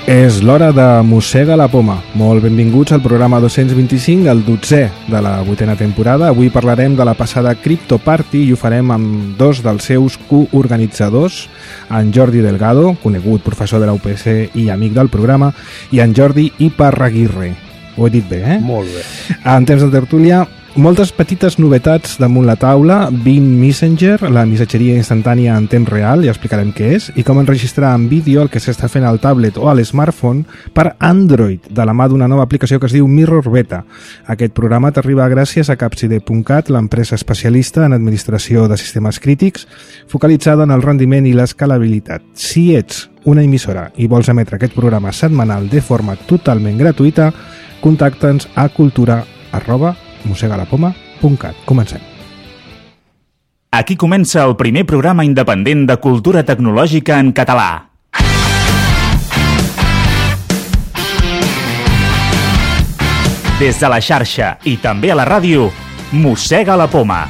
És l'hora de Mossega la Poma. Molt benvinguts al programa 225, el 12è de la 8a temporada. Avui parlarem de la passada Crypto Party i ho farem amb dos dels seus coorganitzadors, en Jordi Delgado, conegut professor de la UPC i amic del programa, i en Jordi Iparraguirre. Ho he dit bé, eh? Molt bé. En temps de tertúlia, moltes petites novetats damunt la taula: Beam Messenger, la missatgeria instantània en temps real, ja explicarem què és, i com enregistrar en vídeo el que s'està fent al tablet o a l'smartphone per Android, de la mà d'una nova aplicació que es diu Mirror Beta. Aquest programa t'arriba gràcies a Capside.cat, l'empresa especialista en administració de sistemes crítics, focalitzada en el rendiment i l'escalabilitat. Si ets una emissora i vols emetre aquest programa setmanal de forma totalment gratuïta, contacta'ns a cultura@mosegalapoma.cat. Comencem. Aquí comença el primer programa independent de cultura tecnològica en català. Des de la xarxa i també a la ràdio, Mossega la Poma.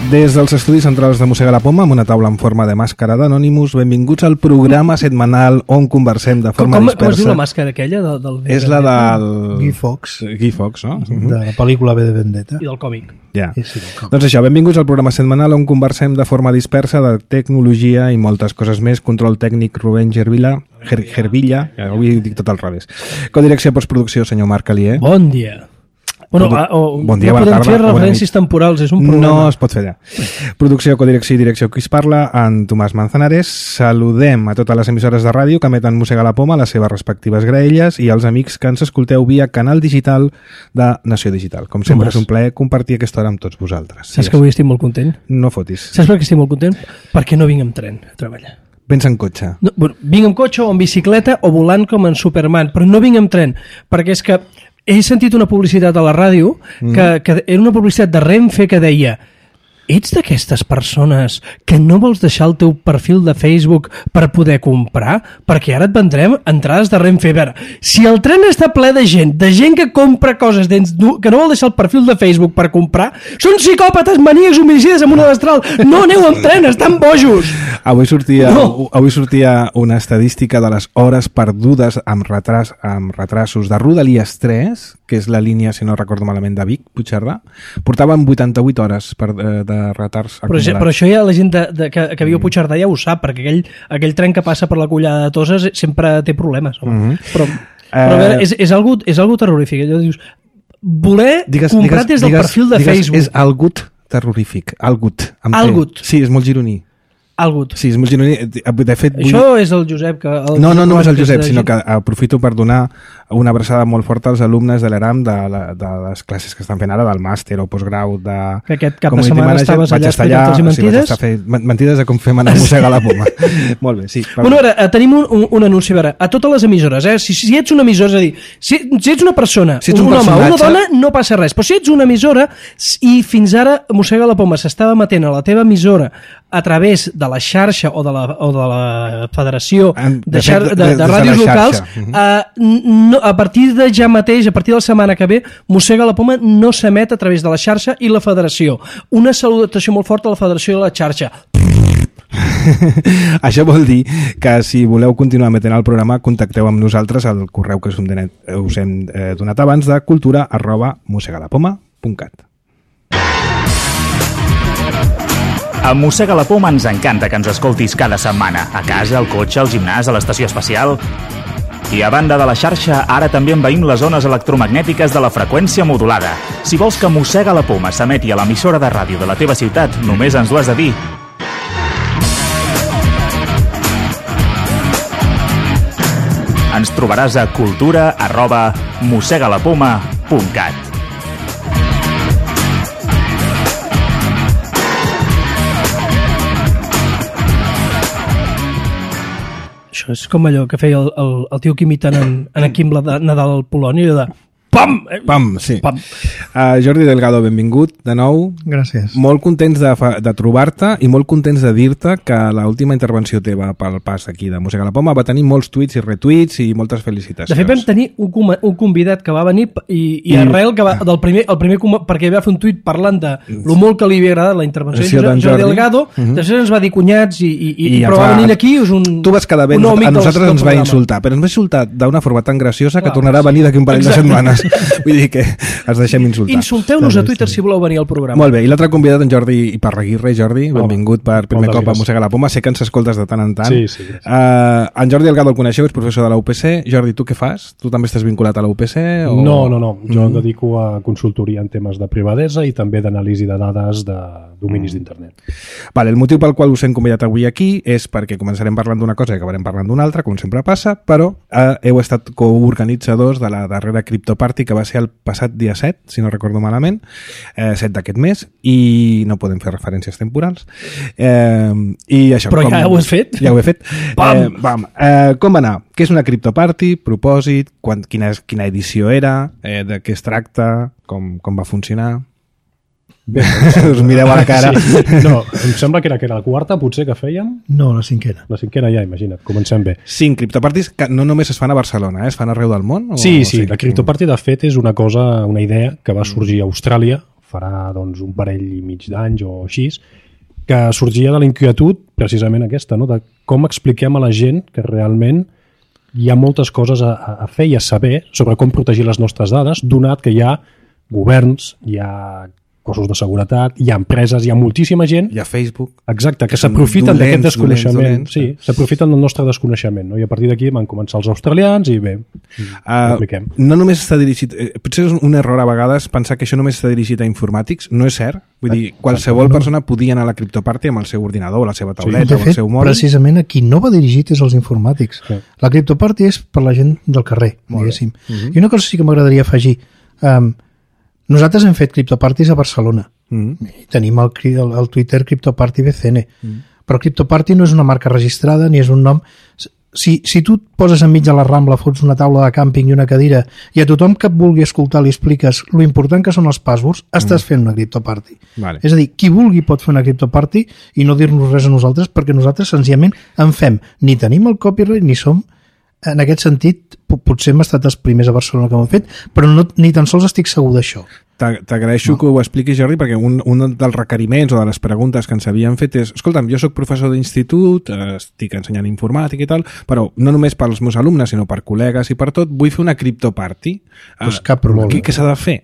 Des dels estudis centrals de Mossega la Poma, amb una taula en forma de màscara d'Anonymous, benvinguts al programa setmanal on conversem de forma dispersa. Com es diu la màscara aquella? És la del... Guy Fawkes. Guy Fawkes, no? De la pel·lícula V de Vendetta. I del còmic. Ja. Sí, Doncs això, benvinguts al programa setmanal on conversem de forma dispersa de tecnologia i moltes coses més. Control tècnic Rubén Gervilla, avui dic tot al revés. Codirecció i postproducció, senyor Marc Alier. Bon dia. Bueno, bon dia, no bona podem tarda, fer referències temporals, és un problema. No es pot fer allà. Producció, codirecció i direcció, qui es parla, en Tomàs Manzanares. Saludem a totes les emissores de ràdio que emeten Mossega la Poma, les seves respectives graelles, i als amics que ens escolteu via canal digital de Nació Digital. Com sempre, és un plaer compartir aquesta hora amb tots vosaltres. Saps que avui estic molt content? No fotis. Saps per què estic molt content? Perquè no vinc amb tren a treballar. Vens en cotxe? No, bueno, vinc amb cotxe o en bicicleta o volant com en Superman, però no vinc amb tren, perquè és que he sentit una publicitat a la ràdio que era una publicitat de Renfe que deia: ets d'aquestes persones que no vols deixar el teu perfil de Facebook per poder comprar? Perquè ara et vendrem entrades de Renfe. A veure, si el tren està ple de gent que compra coses que no vol deixar el perfil de Facebook per comprar, són psicòpates, maníacs, homicides amb una destral. No aneu amb tren, estan bojos. Avui sortia una estadística de les hores perdudes amb retrasos de Rodalies 3, que és la línia, si no recordo malament, de Vic, Puigcerdà. Portaven 88 hores de retards acumulats. Però això ja la gent que viu a Puigcerdà ja ho sap, perquè aquell tren que passa per la Collada de Toses sempre té problemes. Però a veure, és algo terrorífic. Allò dius, comprar des del perfil de Facebook. És algut terrorífic. Algut. Sí, és molt gironí. Algut. Sí, és molt gironí. De fet, això és el Josep que... No és el Josep, sinó que aprofito per donar una abraçada molt forta als alumnes de l'ERAM de les classes que estan fent ara, del màster o postgrau de... Que aquest cap de setmana estaves allà explicant-los mentides? Sí, vaig estar mentides de com fem anar a Mossega la Poma. Molt bé, sí. Bueno, ara, tenim un anunci, a veure, a totes les emissores, si ets una emissora, és a dir, si ets una persona, un home o una dona, no passa res, però si ets una emissora i fins ara Mossega la Poma s'estava emetent a la teva emissora a través de la xarxa o de la federació de ràdios locals, a partir de ja mateix, a partir de la setmana que ve, Mossega la Poma no s'emet a través de la xarxa i la federació. Una salutació molt forta a la federació i a la xarxa. Això vol dir que si voleu continuar emetent el programa, contacteu amb nosaltres al correu que us hem donat abans de cultura@mossegalapoma.cat. A Mossega la Poma ens encanta que ens escoltis cada setmana, a casa, al cotxe, al gimnàs, a l'estació espacial. I a banda de la xarxa, ara també envaïm les zones electromagnètiques de la freqüència modulada. Si vols que Mossega la Poma s'emeti a l'emissora de ràdio de la teva ciutat, només ens ho has de dir. Ens trobaràs a cultura@mossegalapoma.cat. Això és com allò que feia el tio que imiten en Quim Nadal al Polònia, allò de Pam! Pam, sí. Pam. Jordi Delgado, benvingut de nou. Gràcies. Molt contents de trobar-te i molt contents de dir-te que l'última intervenció teva pel pas aquí de Mossega la Poma va tenir molts tuits i retuits i moltes felicitacions. De fet, vam tenir un convidat que va venir i arrel que va, el primer perquè va fer un tuit parlant de lo molt que li havia agradat la intervenció de Jordi Delgado, després ens va dir cunyats i però va venir aquí és un tu vas quedar bé, a nosaltres ens va insultar, però ens va insultar d'una forma tan graciosa que tornarà a venir d'aquí un parell de setmanes. Vull dir que ens deixem insultar. Insulteu-nos a Twitter si voleu venir al programa. Molt bé, i l'altre convidat, en Jordi Iparraguirre. Jordi, benvingut per primer cop a Mossega la Poma. Sé que ens escoltes de tant en tant. Sí. En Jordi Delgado el coneixeu, és professor de la UPC. Jordi, tu què fas? Tu també estàs vinculat a la UPC? O... No. Jo em dedico a consultoria en temes de privadesa i també d'anàlisi de dades de dominis d'internet. Vale, el motiu pel qual us hem convidat avui aquí és perquè començarem parlant d'una cosa i acabarem parlant d'una altra, com sempre passa, però heu estat coorganitzadors de la darrera CryptoParty que va ser el passat dia 7, si no recordo malament, 7 d'aquest mes, i no podem fer referències temporals. I això, però ja ho has fet? Ja ho he fet. Com va anar? Què és una CryptoParty? Propòsit? Quina edició era? De què es tracta? Com va funcionar? Bé, us mireu a la cara. Sí. No, em sembla que era la quarta, potser, que fèiem. No, la cinquena. La cinquena ja, imagina't, comencem bé. 5 CryptoParties que no només es fan a Barcelona, es fan arreu del món? Sí, la CryptoParty de fet és una idea que va sorgir a Austràlia farà doncs, un parell i mig d'anys o així, que sorgia de la inquietud precisament aquesta, no? De com expliquem a la gent que realment hi ha moltes coses a fer i a saber sobre com protegir les nostres dades, donat que hi ha governs, hi ha cossos de seguretat, hi ha empreses, hi ha moltíssima gent... Hi ha Facebook. Exacte, que s'aprofiten d'aquest desconeixement. Sí, s'aprofiten del nostre desconeixement. No? I a partir d'aquí van començar els australians i bé, ho apliquem. No només està dirigit... Potser és un error a vegades pensar que això només està dirigit a informàtics. No és cert. Vull dir, qualsevol persona podia anar a la CryptoParty amb el seu ordinador, la seva tauleta, o el seu mòbil. Precisament a qui no va dirigit és als informàtics. Sí. La CryptoParty és per la gent del carrer, diguéssim. I una cosa sí que m'agradaria afegir... Nosaltres hem fet CryptoParties a Barcelona. I tenim el Twitter CryptoParty BCN. Però CryptoParty no és una marca registrada ni és un nom... Si tu et poses enmig de la Rambla, fots una taula de càmping i una cadira i a tothom que et vulgui escoltar li expliques lo important que són els passwords, estàs fent una CryptoParty. Vale. És a dir, qui vulgui pot fer una CryptoParty i no dir-nos res a nosaltres perquè nosaltres senzillament en fem. Ni tenim el copyright ni som... En aquest sentit, potser hem estat els primers a Barcelona que ho hem fet, però ni tan sols estic segur d'això. T'agraeixo que ho expliquis, Jordi, perquè un dels requeriments o de les preguntes que ens havien fet és, escolta'm, jo sóc professor d'institut, estic ensenyant informàtica i tal, però no només pels meus alumnes, sinó per col·legues i per tot, vull fer una CryptoParty. Pues cap problema. Què s'ha de fer?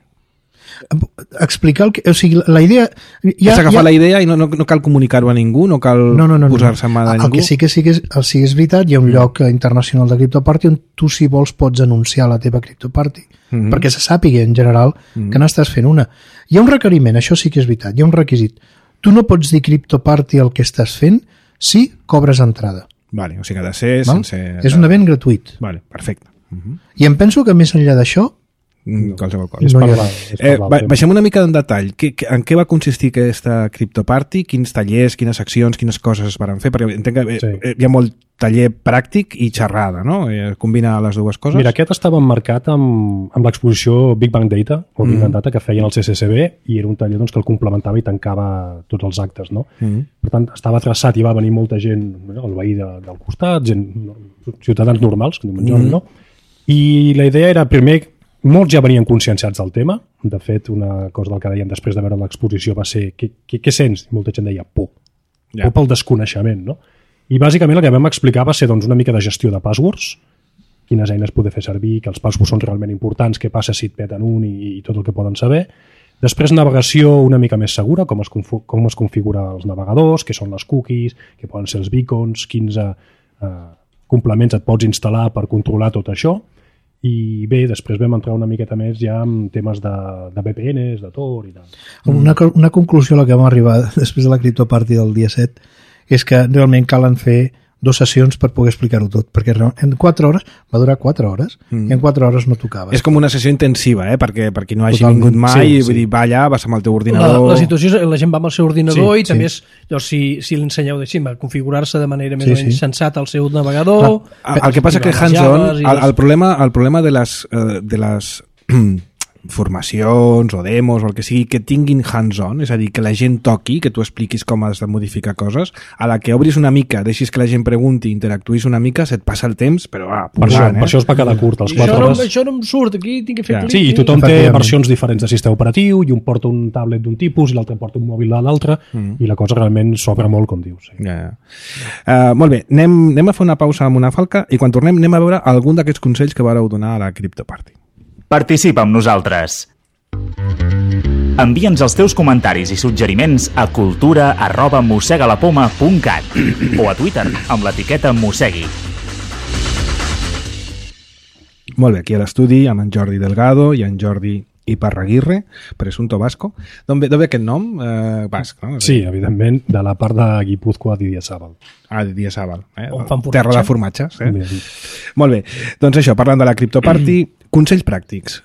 Explicar el que... O sigui, la idea... Has agafat la idea i no cal comunicar-ho a ningú, no cal posar-se en mà de ningú. El que sí que és veritat, hi ha un lloc internacional de CryptoParty on tu, si vols, pots anunciar la teva CryptoParty, perquè se sàpiga en general que n'estàs fent una. Hi ha un requeriment, això sí que és veritat, hi ha un requisit. Tu no pots dir CryptoParty el que estàs fent si cobres entrada. Vale, o sigui que ha de ser sense... És un event gratuït. Vale, perfecte. I em penso que més enllà d'això qualsevol cosa. Baixem una mica en detall. En què va consistir aquesta CryptoParty? Quins tallers, quines accions, quines coses es van fer? Perquè entenc que hi ha molt taller pràctic i xerrada, no? Combina les dues coses. Mira, aquest estava emmarcat amb l'exposició Big Bang Data o Big Bang Data que feien el CCCB i era un taller que el complementava i tancava tots els actes, no? Per tant, estava traçat i va venir molta gent, el veí del costat, ciutadans normals, que no? I la idea era, primer, molts ja venien conscienciats del tema. De fet, una cosa del que deien després de veure l'exposició va ser què sents? I molta gent deia por. Por pel desconeixement, no? I bàsicament el que vam explicar va ser una mica de gestió de passwords, quines eines poder fer servir, que els passwords són realment importants, què passa si et peten un i tot el que poden saber. Després, navegació una mica més segura, com es configura els navegadors, què són les cookies, què poden ser els beacons, quins complements et pots instal·lar per controlar tot això. I bé, després vam entrar una miqueta més ja en temes de VPNs, de Tor i tal. Una conclusió a la que vam arribar després de la CryptoParty del dia 7 és que realment calen fer 2 sessions per poder explicar-ho tot, perquè en 4 hores, va durar 4 hores, i en 4 hores no tocava. És com una sessió intensiva, perquè per qui no hagi vingut mai, vull dir, va allà, vas amb el teu ordinador... La situació és, la gent va amb el seu ordinador i també és, si l'ensenyeu a configurar-se de manera més o menys sensata al seu navegador... El que passa que hands-on, el problema de les formacions o demos o el que sigui, que tinguin hands-on, és a dir, que la gent toqui, que tu expliquis com has de modificar coses, a la que obris una mica, deixis que la gent pregunti, interactuïs una mica, se't passa el temps, però per això es va quedar curt, els 4 hores. Això no em surt, aquí tinc que fer clic. Sí, i tothom té versions diferents de sistema operatiu, i un porta un tablet d'un tipus i l'altre porta un mòbil de l'altre, i la cosa realment s'obre molt, com dius. Sí. Molt bé, anem a fer una pausa amb una falca i quan tornem anem a veure algun d'aquests consells que vareu donar a la CryptoParty. Participa amb nosaltres. Envia'ns els teus comentaris i suggeriments a cultura@mossegalapoma.cat o a Twitter amb l'etiqueta Mossegui. Molt bé, aquí a l'estudi amb en Jordi Delgado i en Jordi Iparraguirre, presunto vasco. D'on ve aquest nom? Basc, no? Sí, evidentment, de la part de Guipúzcoa d'Idiazabal. D'Idiazabal. On fan formatge. Terra de formatges. Molt bé, doncs això, parlant de la CryptoParty, consells pràctics.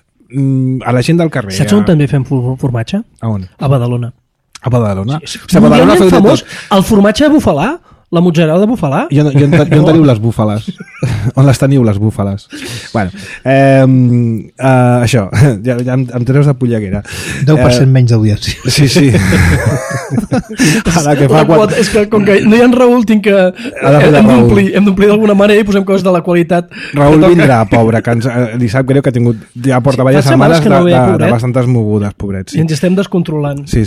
A la gent del carrer. Saps on també fem formatge? A on? A Badalona. A Badalona? Sí, a Badalona feu famós el formatge de bufalà, la mozzarella de bufalà. I on teniu les búfales? On les teniu, les búfales? Bueno, això, ja em treus de polleguera. 10% menys d'audiència. Sí. A la que fa quota, és que com que no hi ha en Raül, tinc que... Hem d'omplir d'alguna manera i posem coses de la qualitat. Raül vindrà, pobre, que li sap greu que ha tingut... Ja porta diverses setmanes de bastantes mogudes, pobret. I ens estem descontrolant. Sí.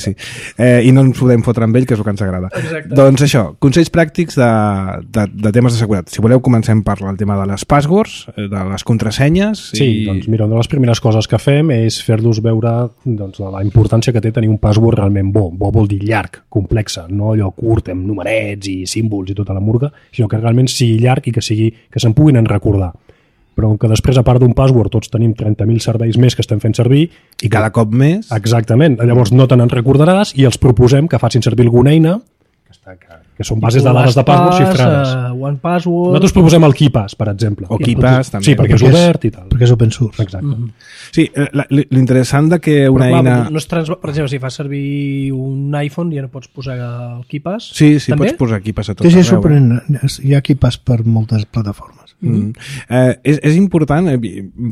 I no ens podem fotre amb ell, que és el que ens agrada. Exacte. Doncs això, consells pràctics de temes de seguretat. Si voleu, comencem per el tema de les passwords, de les contrasenyes. Sí, doncs mira, una de les primeres coses que fem és fer-los veure la importància que té tenir un password realment bo. Bo vol dir llarg, complex, no allò curt amb numerets i símbols i tota la murga, sinó que realment sigui llarg i que se'n puguin recordar. Però que després, a part d'un password, tots tenim 30.000 serveis més que estem fent servir. I cada cop més. Exactament. Llavors no te n'en recordaràs i els proposem que facin servir alguna eina que són bases de dades de password xifrades. OnePassword... Nosaltres proposem el KeePass, per exemple. O KeePass, també. Sí, perquè és obert i tal. Perquè és open source. Exacte. Sí, l'interessant de que una eina... No és per exemple, si fas servir un iPhone ja no pots posar el KeePass? Sí, pots posar KeePass a tot arreu. Sí, sorprenent. Hi ha KeePass per moltes plataformes. És important,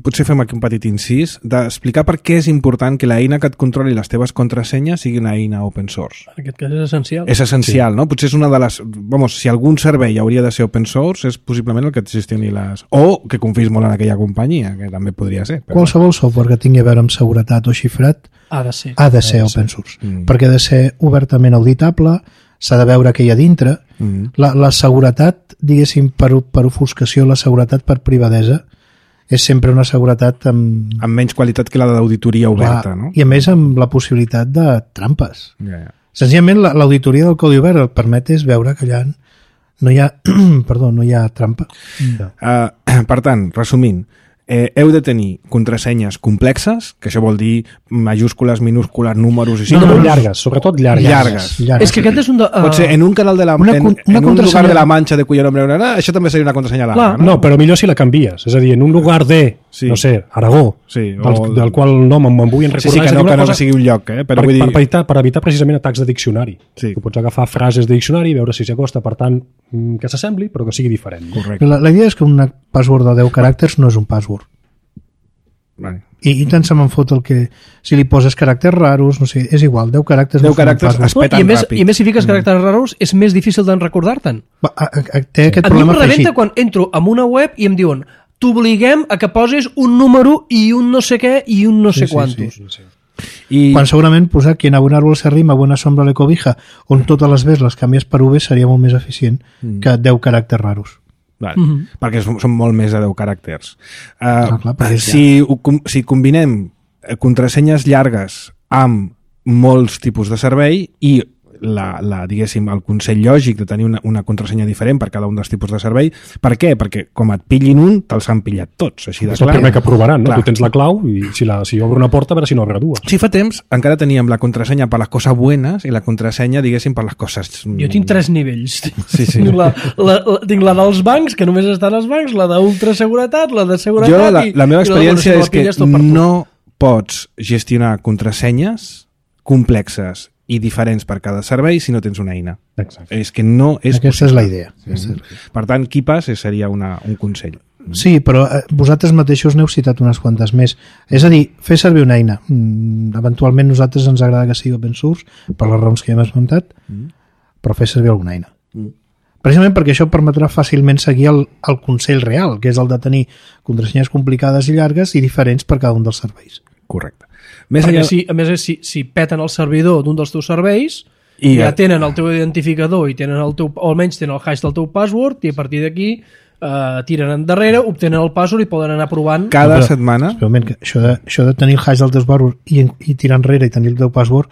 potser fem aquí un petit incís, d'explicar per què és important que l'eina que et controli les teves contrasenyes sigui una eina open source. En aquest cas és essencial. És essencial, no? Potser és una de les... si algun servei hauria de ser open source, és possiblement el que et gestioni les... O que confiïs molt en aquella companyia, que també podria ser. Però... Qualsevol software que tingui a veure amb seguretat o xifrat ha de ser open source. Perquè ha de ser obertament auditable, s'ha de veure què hi ha dintre. La seguretat, diguéssim, per ofuscació, la seguretat per privadesa, és sempre una seguretat amb menys qualitat que la d'auditoria oberta, no? I a més amb la possibilitat de trampes. Senzillament l'auditoria del codi obert el permet és veure que allà no hi ha, no hi ha trampa. Per tant, resumint, heu de tenir contrasenyes complexes, que això vol dir majúscules, minúscules, números i símbols. No, llargues, sobretot llargues. És que aquest és un... Pot ser en un canal de la... en un lugar de la Manxa de cuyo nombre això també seria una contrasenya larga, no? No, però millor si la canvies. És a dir, en un lugar de, no sé, Aragó, del qual nom me'n vull recordar. Sí, que no sigui un lloc, però vull dir... Per evitar precisament atacs de diccionari. Tu pots agafar frases de diccionari i veure si s'acosta, per tant, que s'assembli, però que sigui diferent. Correcte. La idea és que un password de 10 caràcters no és un password. Vale. I tant se me'n fot el que... Si li poses caràcters raros, no sé, és igual, 10 caràcters es peten ràpid. I més si fiques caràcters raros, és més difícil d'en recordar-te'n. Té aquest problema afegit. A mi em rebenta quan entro en una web i em diuen t'obliguem a que posis un número i un no sé què i un no sé quantos. I... Quan segurament posar quien a un árbol se arrima, buena sombra le cobija, on totes les Bs les canvies per V seria molt més eficient que 10 caràcters raros. Vale. Perquè són molt més de 10 caràcters. Si combinem contrasenyes llargues amb molts tipus de servei i diguéssim, el consell lògic de tenir una contrasenya diferent per cada un dels tipus de servei. Per què? Perquè com et pillin un, te'ls han pillat tots. Així de clar. És el primer que provaran, no? Tu tens la clau i si obre una porta, a veure si no obre dues. Si fa temps, encara teníem la contrasenya per les coses buenas i la contrasenya, diguéssim, per les coses... Jo tinc 3 nivells. Sí. Tinc la dels bancs, que només està als bancs, la d'ultraseguretat, la de seguretat... La meva experiència és que no pots gestionar contrasenyes complexes i diferents per cada servei si no tens una eina. Exacte. És que no és Aquesta possible. És la idea. Per tant, KeePass seria un consell. Sí, però vosaltres mateixos n'heu citat unes quantes més. És a dir, fer servir una eina. Eventualment nosaltres ens agrada que sigui open source, per les raons que ja hem esmentat, però fer servir alguna eina. Precisament perquè això permetrà fàcilment seguir el consell real, que és el de tenir contrasenyes complicades i llargues i diferents per cada un dels serveis. Correcte. Perquè a més, si peten el servidor d'un dels teus serveis, ja tenen el teu identificador i tenen o almenys tenen el hash del teu password, i a partir d'aquí tiren endarrere, obtenen el password i poden anar provant. Cada setmana... Això de tenir el hash del teu password i tirar enrere i tenir el teu password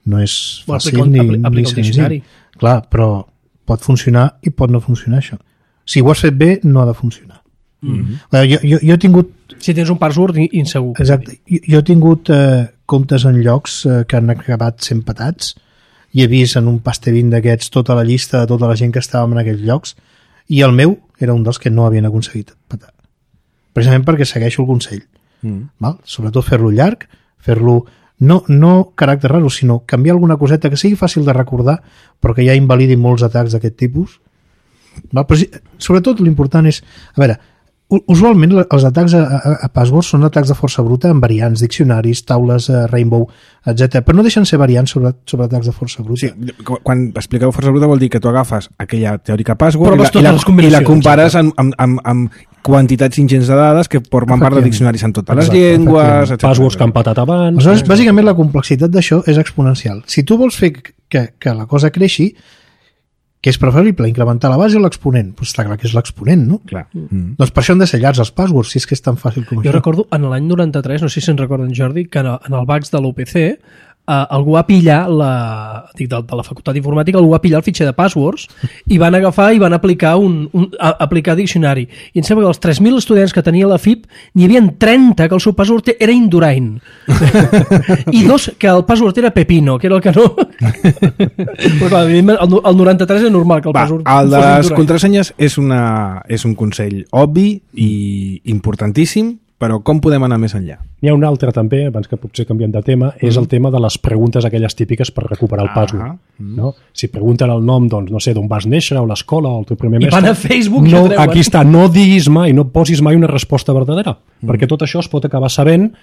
no és fàcil ni senzill. Clar, però pot funcionar i pot no funcionar això. Si ho has fet bé, no ha de funcionar. Jo he tingut... Si tens un password insegur. Exacte. Jo he tingut comptes en llocs que han acabat sent petats i he vist en un pastebin d'aquests tota la llista de tota la gent que estàvem en aquells llocs i el meu era un dels que no havien aconseguit petar. Precisament perquè segueixo el consell. Val? Sobretot fer-lo llarg, fer-lo no caràcter raro, sinó canviar alguna coseta que sigui fàcil de recordar però que ja invalidi molts atacs d'aquest tipus. Val? Però sobretot l'important és... A veure, usualment els atacs a passwords són atacs de força bruta amb variants, diccionaris, taules, Rainbow, etc. Però no deixen ser variants sobre atacs de força bruta. Sí, quan expliqueu força bruta vol dir que tu agafes aquella teòrica password i la compares amb quantitats ingents de dades que formen part de diccionaris en totes les llengües, etc. Passwords que han patat abans... Aleshores, bàsicament la complexitat d'això és exponencial. Si tu vols fer que la cosa creixi, que és preferible incrementar la base o l'exponent? Doncs està clar que és l'exponent, no? Clar. Doncs per això han de ser llargs els passwords, si és que és tan fàcil com això. Jo recordo, en l'any 93, no sé si se'n recorden, Jordi, que en el Vax de l'UPC algú va pillar de la facultat d'informàtica, algú va pillar el fitxer de passwords i van agafar i van aplicar aplicar diccionari. I em sembla que els 3.000 estudiants que tenia la FIP n'hi havia 30 que el seu password era Indurain. I 2 que el password era Pepino, que era el que no... Però clar, el 93 és normal que el password el de les contrasenyes és un consell obvi i importantíssim, però com podem anar més enllà? N'hi ha un altre també, abans que potser canviem de tema, és el tema de les preguntes aquelles típiques per recuperar el password. No? Si pregunten el nom, doncs, no sé, d'on vas néixer, o l'escola, o el teu primer mestre... I van a Facebook no, aquí està, no diguis mai, no posis mai una resposta verdadera, perquè tot això es pot acabar sabent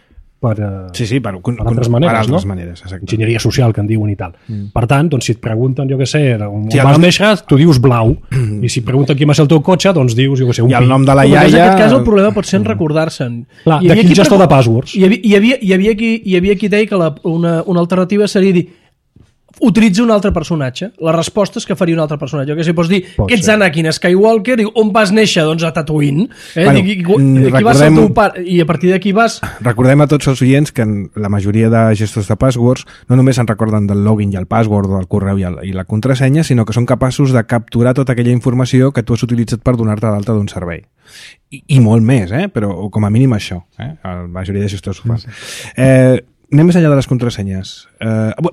per altres maneres, enginyeria social que en diuen i tal. Per tant, doncs, si et pregunten, jo què sé, on vas néixer, tu dius blau, i si et pregunten quin va ser el teu cotxe, doncs dius, jo què sé, un pi. I el nom de la iaia... En aquest cas el problema pot ser en recordar-se'n. Clar, de quin gestor de passwords? Hi havia qui deia que una alternativa seria dir utilitza un altre personatge. La resposta és que faria un altre personatge. Que si pots dir que ets Anakin Skywalker, diu, on vas néixer? Doncs a Tatooine. Qui va ser el teu pare? I a partir d'aquí vas... Recordem a tots els oients que la majoria de gestors de passwords no només se'n recorden del login i el password, del correu i la contrasenya, sinó que són capaços de capturar tota aquella informació que tu has utilitzat per donar-te d'alta d'un servei. I molt més, però com a mínim això. La majoria de gestors ho fan. Anem més enllà de les contrasenyes.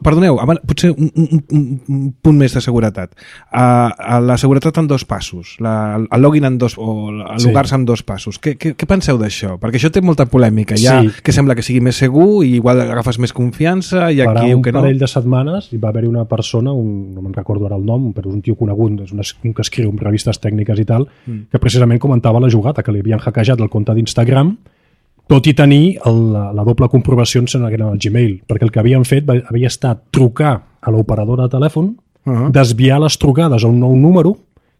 Perdoneu, potser un punt més de seguretat. La seguretat en 2 passos, el login en 2, o el logar-se en 2 passos. Què penseu d'això? Perquè això té molta polèmica. Que sembla que sigui més segur i igual agafes més confiança i aquí diu que no. Un parell de setmanes hi va haver una persona, no me'n recordo ara el nom, però és un tio conegut, és un que escriu en revistes tècniques i tal, que precisament comentava la jugada, que li havien hackejat el compte d'Instagram, tot i tenir la doble comprovació en el Gmail, perquè el que havien fet havia estat trucar a l'operadora de telèfon, desviar les trucades a un nou número,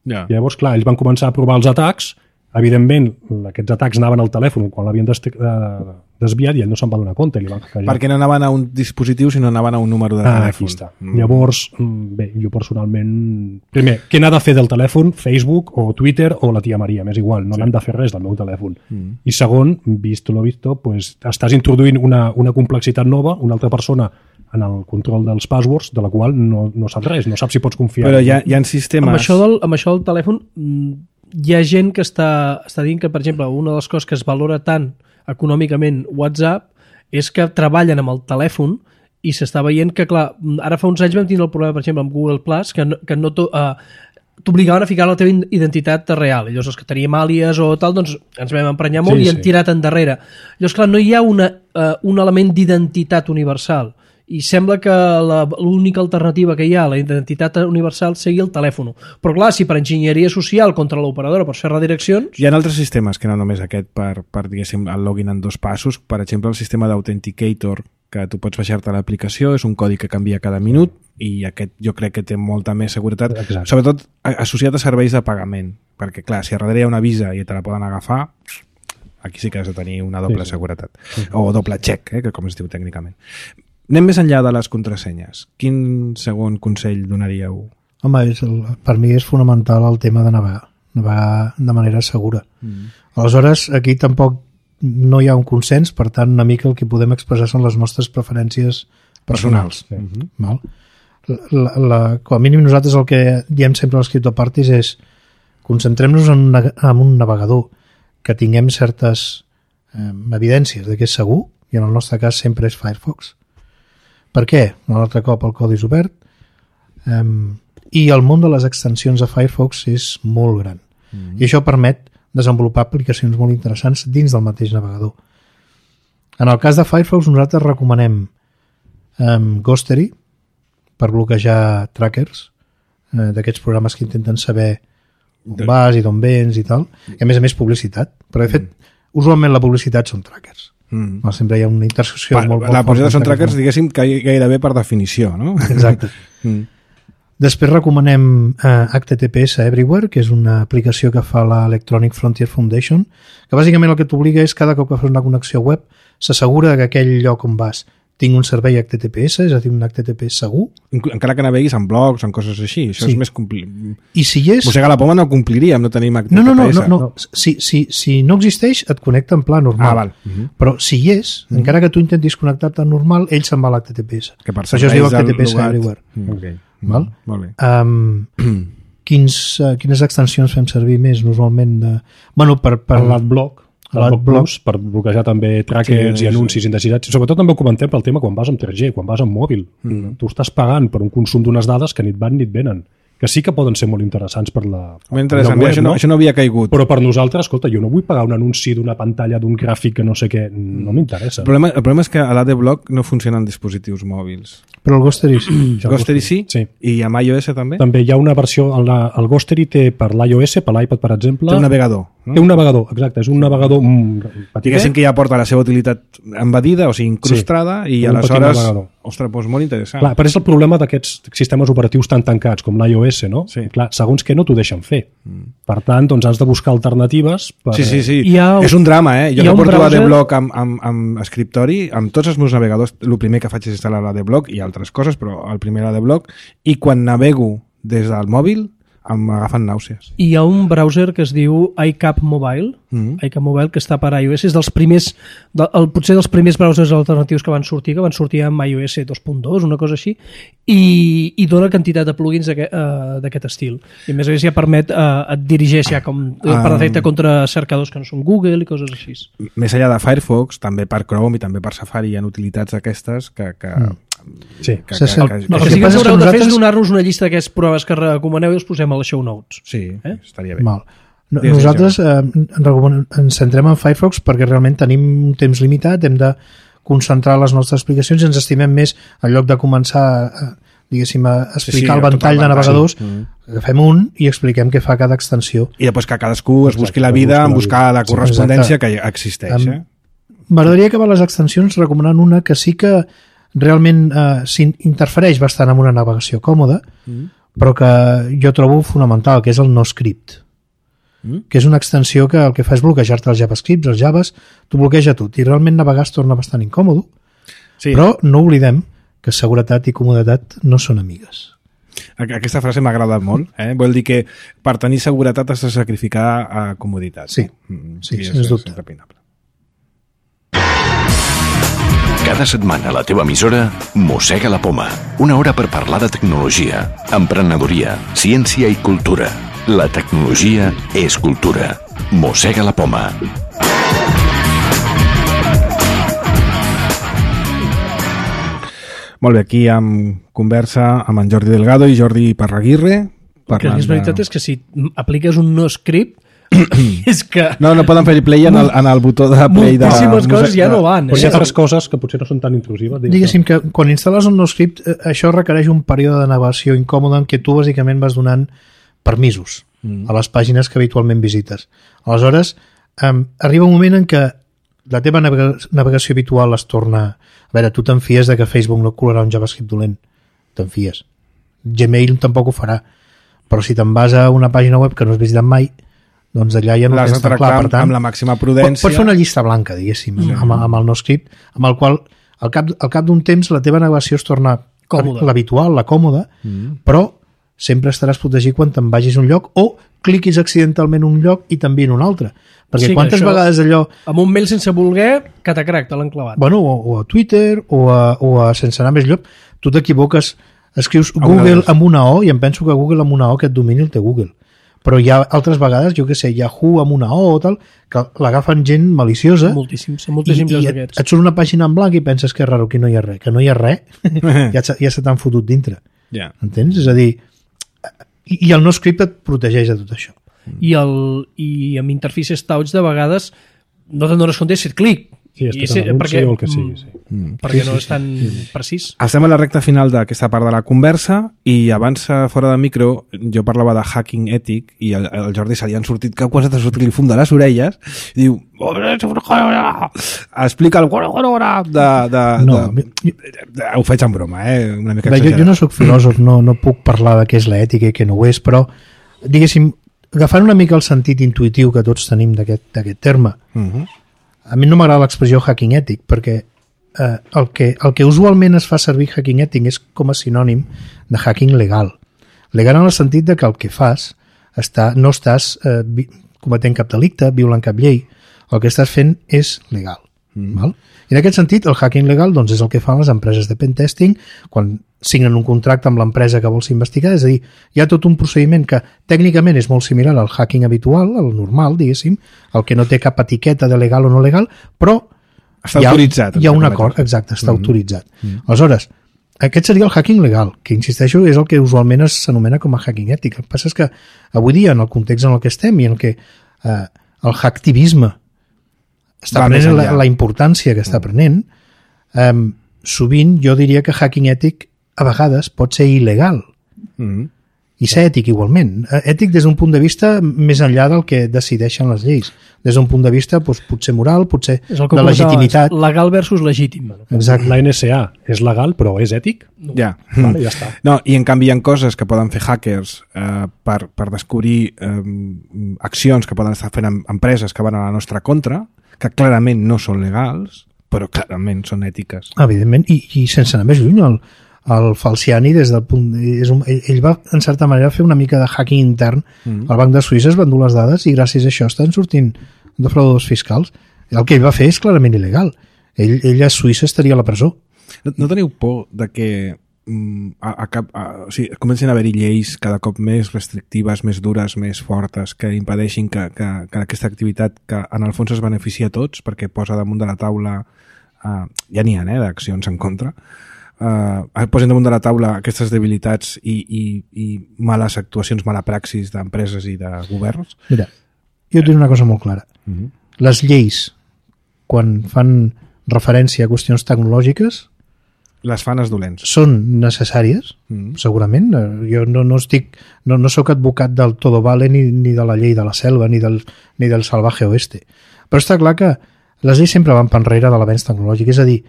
i llavors, clar, ells van començar a provar els atacs, evidentment, aquests atacs anaven al telèfon quan l'havien desviat i ell no se'n va donar compte. Perquè no anaven a un dispositiu, sinó anaven a un número de telèfon. Aquí està. Llavors, bé, jo personalment... Primer, què n'ha de fer del telèfon? Facebook o Twitter o la tia Maria, m'és igual, no n'han de fer res del meu telèfon. I segon, visto lo visto, pues, estàs introduint una complexitat nova, una altra persona en el control dels passwords, de la qual no saps res, no saps si pots confiar. Però hi ha sistemes... Amb això del telèfon... Hi ha gent que està dient que, per exemple, una de les coses que es valora tant econòmicament WhatsApp és que treballen amb el telèfon i s'està veient que, clar, ara fa uns anys vam tindre el problema, per exemple, amb Google Plus, que no t'obligaven a ficar la teva identitat real. Llavors, els que teníem àlies o tal, doncs ens vam emprenyar molt i hem tirat endarrere. Llavors, clar, no hi ha un element d'identitat universal. i sembla que l'única alternativa que hi ha a la identitat universal sigui el telèfon. Però clar, si per enginyeria social contra l'operadora pots fer redireccions... Hi ha altres sistemes que no només aquest per diguéssim, el login en 2 passos. Per exemple, el sistema d'Authenticator, que tu pots baixar-te l'aplicació, és un codi que canvia cada minut i aquest jo crec que té molta més seguretat. Exacte. Sobretot associat a serveis de pagament, perquè clar, si a darrere hi ha una Visa i te la poden agafar, aquí sí que has de tenir una doble seguretat. O doble check, que com es diu tècnicament. Anem més enllà de les contrasenyes. Quin segon consell donaríeu? Home, per mi és fonamental el tema de navegar de manera segura. Aleshores, aquí tampoc no hi ha un consens, per tant, una mica el que podem expressar són les nostres preferències personals. Val? Com a mínim nosaltres el que diem sempre als criptoparties és concentrem-nos en un navegador que tinguem certes evidències de que és segur, i en el nostre cas sempre és Firefox. Per què? Un altre cop el codi és obert i el món de les extensions de Firefox és molt gran. I això permet desenvolupar aplicacions molt interessants dins del mateix navegador. En el cas de Firefox nosaltres recomanem Ghostery per bloquejar trackers d'aquests programes que intenten saber on vas i d'on vens i tal, i a més publicitat, però de fet usualment la publicitat són trackers. Sempre hi ha una intersecció molt la publicitat són trackers, diguéssim, que gairebé per definició, no? Exacte. Després recomanem HTTPS Everywhere, que és una aplicació que fa l'Electronic Frontier Foundation, que bàsicament el que t'obliga és cada cop que fas una connexió web s'assegura que aquell lloc on vas tingui un servei HTTPS, és a dir, un HTTP segur. Encara que naveguis en blogs, en coses així, això és més complicat. I si hi és... Mossega la poma no compliríem, no tenim HTTPS. No. Si no existeix, et connecta en pla normal. Val. Però si hi és, encara que tu intentis connectar-te normal, ell se'n va a l'HTTPS. Que per això es diu HTTPS Everywhere. Val? Molt bé. Quines extensions fem servir més normalment? Per l'adblock. L'adblock per bloquejar també trackers i anuncis indesirats. Sobretot també ho comentem pel tema quan vas amb 3G, quan vas amb mòbil. Tu estàs pagant per un consum d'unes dades que ni et van ni et venen, que sí que poden ser molt interessants per la web, això no havia caigut. Però per nosaltres, escolta, jo no vull pagar un anunci d'una pantalla, d'un gràfic que no sé què, no m'interessa. El problema és que a l'AdBlock no funcionen dispositius mòbils. Però el Ghostery sí. Ghostery sí? I amb iOS també? També hi ha una versió, el Ghostery té per l'iOS, per l'iPad, per exemple... Té un navegador. Té un navegador, exacte, és un navegador petit. Diguéssim que ja porta la seva utilitat embedida, o sigui, incrustada, i aleshores... Ostres, doncs molt interessant. Clar, però és el problema d'aquests sistemes operatius tan tancats com l'iOS, no? Sí. Clar, segons què no t'ho deixen fer. Per tant, doncs has de buscar alternatives per... Sí. És un drama, Jo que porto l'AdBlock amb escriptori, amb tots els meus navegadors, el primer que faig és instal·lar l'AdBlock i altres coses, però el primer l'AdBlock, i quan navego des del mòbil m'agafen nàusees. Hi ha un browser que es diu iCap Mobile, iCap Mobile, que està per iOS, és dels primers, potser dels primers browsers alternatius que van sortir amb iOS 2.2, una cosa així, i dona quantitat de plugins d'aquest estil. I a més ja permet, et dirigeix ja com per defecte contra cercadors que no són Google i coses així. Més enllà de Firefox, també per Chrome i també per Safari hi ha utilitats aquestes que Sí. El que sí que ens haureu de fer és donar-nos una llista d'aquests programes que recomaneu i els posem a les show notes. Sí, estaria bé. Nosaltres ens centrem en Firefox perquè realment tenim un temps limitat, hem de concentrar les nostres explicacions i ens estimem més, en lloc de començar a explicar el ventall de navegadors, agafem un i expliquem què fa cada extensió. I després que cadascú es busqui la vida en buscar la correspondència que existeix. M'agradaria acabar les extensions recomanant una que sí que realment interfereix bastant amb una navegació còmoda, però que jo trobo fonamental, que és el NoScript, que és una extensió que el que fa és bloquejar-te els JavaScripts, els Javes, t'ho bloqueja tot, i realment navegar es torna bastant incòmodo, però no oblidem que seguretat i comoditat no són amigues. Aquesta frase m'ha agradat molt, vol dir que per tenir seguretat has de sacrificar comoditat. Sí, sens dubte. Cada setmana a la teva emissora Mossega la Poma. Una hora per parlar de tecnologia, emprenedoria, ciència i cultura. La tecnologia és cultura. Mossega la Poma. Molt bé, aquí amb conversa amb en Jordi Delgado i Jordi Parraguirre. El que és veritat és que si apliques un NoScript És que No poden fer play en el botó de play de... moltíssimes coses ja no van. Però hi ha altres coses que potser no són tan intrusives. Diguéssim que quan instal·les un NoScript, això requereix un període de navegació incòmode en què tu bàsicament vas donant permisos a les pàgines que habitualment visites. Aleshores, arriba un moment en què la teva navegació habitual es torna... A veure, tu te'n fies de que Facebook no colarà un JavaScript dolent. Te'n fies. Gmail tampoc ho farà. Però si te'n vas a una pàgina web que no has visitat mai, doncs allà ja no l'has de tens tan tractar clar. Per tant, amb la màxima prudència. Pots fer una llista blanca, diguéssim, amb el NoScript, amb el qual al cap d'un temps la teva navegació es torna Còmoda. l'habitual, la còmoda, però sempre estaràs protegit quan te'n vagis a un lloc o cliquis accidentalment un lloc i també en un altre. Perquè Sí, que quantes això- vegades allò... Amb un mail sense voler, catacrac, te l'han clavat. Bueno, o a Twitter o a sense anar més lloc, tu t'equivoques, escrius una Google de les- amb una O i em penso que Google amb una O aquest domini el té Google. Però hi ha altres vegades, jo que sé, Yahoo amb una O o tal, que l'agafen gent maliciosa Moltíssims, són moltíssims i d'aquests. et surt una pàgina en blanc i penses que és raro, que no hi ha res. Que no hi ha res, ja se t'han fotut dintre. Ja. Entens? És a dir, i el NoScript et protegeix de tot això. I amb interfícies touch de vegades no te'n dones compte de fer clic. Sí, és I tot en anunci o el que sigui. Sí. Perquè no és tan precís. Estem a la recta final d'aquesta part de la conversa i abans, fora de micro, jo parlava de hacking ètic i el Jordi se li han sortit que quasi t'ha sortit li fum de les orelles i diu explica el ho faig en broma, una mica Bé, exagerat. jo no sóc filòsof, no puc parlar de què és l'ètica i què no ho és, però, diguéssim, agafant una mica el sentit intuïtiu que tots tenim d'aquest terme, a mi no m'agrada l'expressió hacking ètic, perquè el que usualment es fa servir hacking ètic és com a sinònim de hacking legal. Legal en el sentit de que el que fas no estàs cometent cap delicte, violant cap llei, el que estàs fent és legal. Val? I en aquest sentit, el hacking legal doncs, és el que fan les empreses de pentesting quan signen un contracte amb l'empresa que vols investigar, és a dir, hi ha tot un procediment que tècnicament és molt similar al hacking habitual, al normal, diguéssim, el que no té cap etiqueta de legal o no legal, però Està autoritzat. hi ha un acord, exacte, està autoritzat. Aleshores, aquest seria el hacking legal, que insisteixo és el que usualment s'anomena com a hacking ètic. El que passa és que avui dia, en el context en el que estem i en què el hacktivisme està prenent la importància que està prenent, sovint jo diria que hacking ètic a vegades pot ser il·legal i ser ètic igualment. Ètic des d'un punt de vista més enllà del que decideixen les lleis. Des d'un punt de vista potser moral, potser És el que de legitimitat. legal versus legítim. Exacte. La NSA és legal però és ètic? Ja. Vale, ja està. No, i en canvi hi ha coses que poden fer hackers per descobrir accions que poden estar fent empreses que van a la nostra contra, que clarament no són legals, però clarament són ètiques. Evidentment, i sense anar més lluny, el Falciani des del punt... ell va, en certa manera, fer una mica de hacking intern al Banc de Suïssa, es van dur les dades i gràcies a això estan sortint defraudadors fiscals. El que ell va fer és clarament il·legal. Ell a Suïssa estaria a la presó. No teniu por de que o sigui, comencin a haver-hi lleis cada cop més restrictives, més dures, més fortes, que impedeixin que aquesta activitat, que en el fons es beneficia a tots, perquè posa damunt de la taula, ja n'hi ha, d'accions en contra, posen damunt de la taula aquestes debilitats i males actuacions, mala praxis d'empreses i de governs? Mira, jo et diré una cosa molt clara. Les lleis, quan fan referència a qüestions tecnològiques, Les fan els dolents. són necessàries, segurament. Jo no sóc advocat del todo vale ni de la llei de la selva ni del salvaje oeste. Però està clar que les lleis sempre van per enrere de l'avenç tecnològic. És a dir,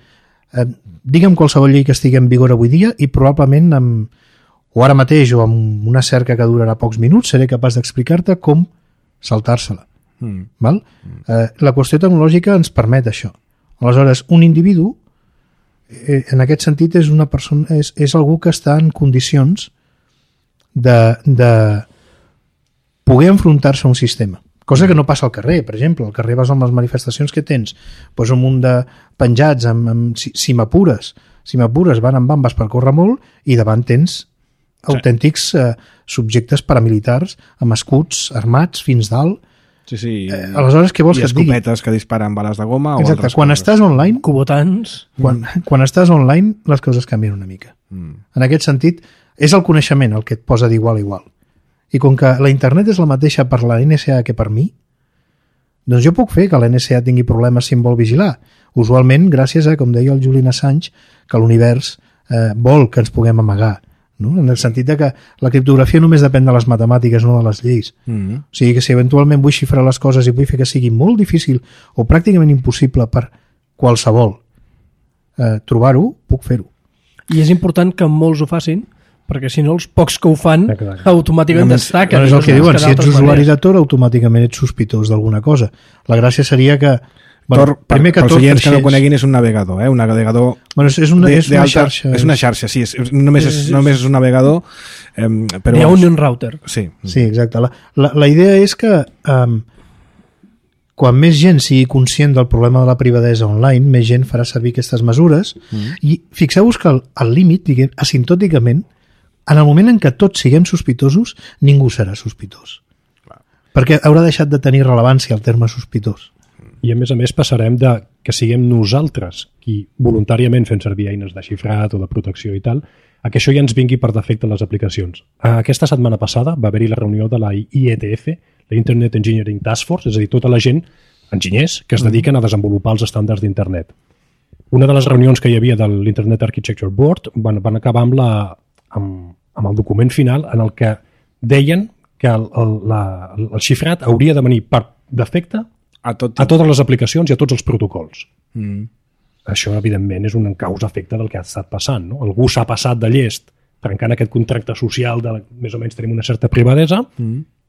digue'm qualsevol llei que estigui en vigor avui dia i probablement o ara mateix o amb una cerca que durarà pocs minuts seré capaç d'explicar-te com saltar-se-la. Val? La qüestió tecnològica ens permet això. Aleshores, un individu en aquest sentit és una persona, és algú que està en condicions de poder enfrontar-se a un sistema, cosa que no passa al carrer. Per exemple, al carrer vas amb les manifestacions que tens, doncs un munt de penjats si m'apures van amb bambes per córrer molt i davant tens autèntics subjectes paramilitars amb escuts armats fins dalt. Sí. Aleshores, què vols que et digui? I escopetes que disparen bales de goma o Exacte. altres Quan coses. estàs online, Cubotans. quan estàs online, les coses canvien una mica. En aquest sentit, és el coneixement el que et posa d'igual a igual. I com que la internet és la mateixa per la NSA que per mi, doncs jo puc fer que la NSA tingui problemes si em vol vigilar. Usualment, gràcies a, com deia el Julian Assange, que l'univers vol que ens puguem amagar. No? En el sentit de que la criptografia només depèn de les matemàtiques, no de les lleis. O sigui que si eventualment vull xifrar les coses i vull fer que sigui molt difícil o pràcticament impossible per qualsevol trobar-ho, puc fer-ho. I és important que molts ho facin, perquè si no els pocs que ho fan automàticament destaquen. És el que diuen, si ets usuari de Tor automàticament ets sospitós d'alguna cosa. La gràcia seria que Tor, primer que pels oients que no coneguin, és un navegador, un navegador és una xarxa. És una xarxa, sí, només és un navegador, però... Hi ha un router. Sí, exacte. La idea és que quan més gent sigui conscient del problema de la privadesa online, més gent farà servir aquestes mesures i fixeu-vos que al límit, diguem, asimptòticament, en el moment en què tots siguem sospitosos, ningú serà sospitós. Perquè haurà deixat de tenir rellevància el terme sospitós. I a més passarem de que siguem nosaltres qui voluntàriament fem servir eines de xifrat o de protecció i tal, a que això ja ens vingui per defecte a les aplicacions. Aquesta setmana passada va haver-hi la reunió de la IETF, la Internet Engineering Task Force, és a dir, tota la gent, enginyers, que es dediquen a desenvolupar els estàndards d'internet. Una de les reunions que hi havia de l'Internet Architecture Board van acabar amb el document final en el que deien que el xifrat hauria de venir per defecte a totes les aplicacions i a tots els protocols. Això, evidentment, és un causa-efecte del que ha estat passant. No? Algú s'ha passat de llest trencant aquest contracte social de més o menys tenim una certa privadesa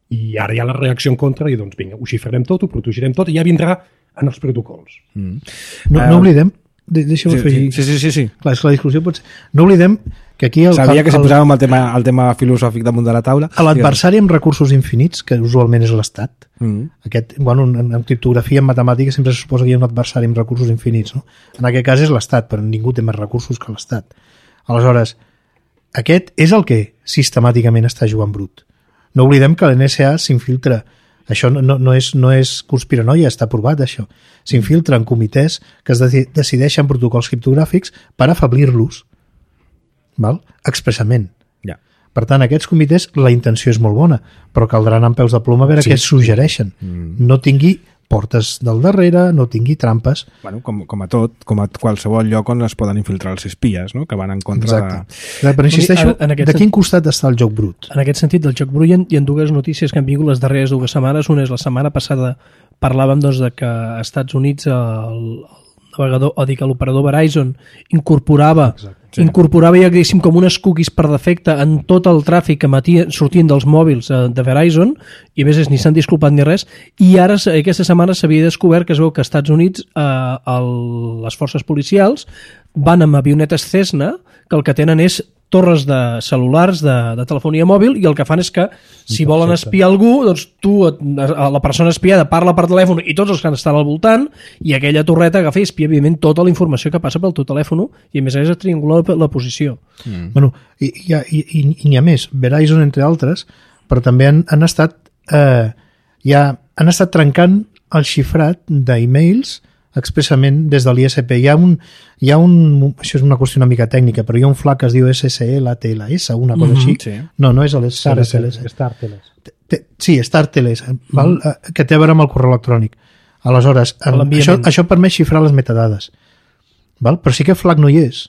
i ara hi ha la reacció en contra i doncs vinga, ho xifrarem tot, ho protegirem tot i ja vindrà en els protocols. No oblidem, deixa'm afegir. Sí. Clar, és que la discussió pot ser... No oblidem que aquí... Sabia que si posàvem el tema filosòfic damunt de la taula... L'adversari amb recursos infinits, que usualment és l'Estat, en criptografia, en matemàtiques, sempre se suposa que hi ha un adversari amb recursos infinits. No? En aquest cas és l'Estat, però ningú té més recursos que l'Estat. Aleshores, aquest és el que sistemàticament està jugant brut. No oblidem que l'NSA s'infiltra. Això no és conspiranoia, està provat, això. S'infiltra en comitès que es decideixen protocols criptogràfics per afeblir-los, expressament. Per tant, aquests comitès, la intenció és molt bona, però caldrà anar amb peus de ploma a veure què es suggereixen. No tingui portes del darrere, no tingui trampes. Bueno, com a tot, com a qualsevol lloc on es poden infiltrar els espies, no? Que van en contra de... Però insisteixo, de quin costat està el joc brut? En aquest sentit, del joc brut hi ha dues notícies que han vingut les darreres 2 setmanes. Una és la setmana passada parlàvem de que als Estats Units el navegador, o dic, l'operador Verizon incorporava ja, diguéssim, com unes cookies per defecte en tot el tràfic que sortien dels mòbils de Verizon, i a més ni s'han disculpat ni res, i ara aquesta setmana s'havia descobert que es veu que als Estats Units les forces policials van amb avionetes Cessna, que el que tenen és torres de cel·lulars de telefonia mòbil, i el que fan és que si volen espiar algú, doncs la persona espiada parla per telèfon i tots els que estan al voltant, i aquella torreta agafa i espia evidentment tota la informació que passa pel teu telèfon i a més a triangular la posició. Bueno, i n'hi ha més, Verizon entre altres, però també han estat trencant el xifrat d'e-mails expressament des de l'ISP. Hi ha un, això és una qüestió una mica tècnica, però hi ha un flag que es diu SSL-TLS, una cosa així. Sí. No és l'SSL. StarTLS. Sí, StarTLS, que té a veure amb el correu electrònic. Aleshores, això permet xifrar les metadades. Però sí que flag no hi és.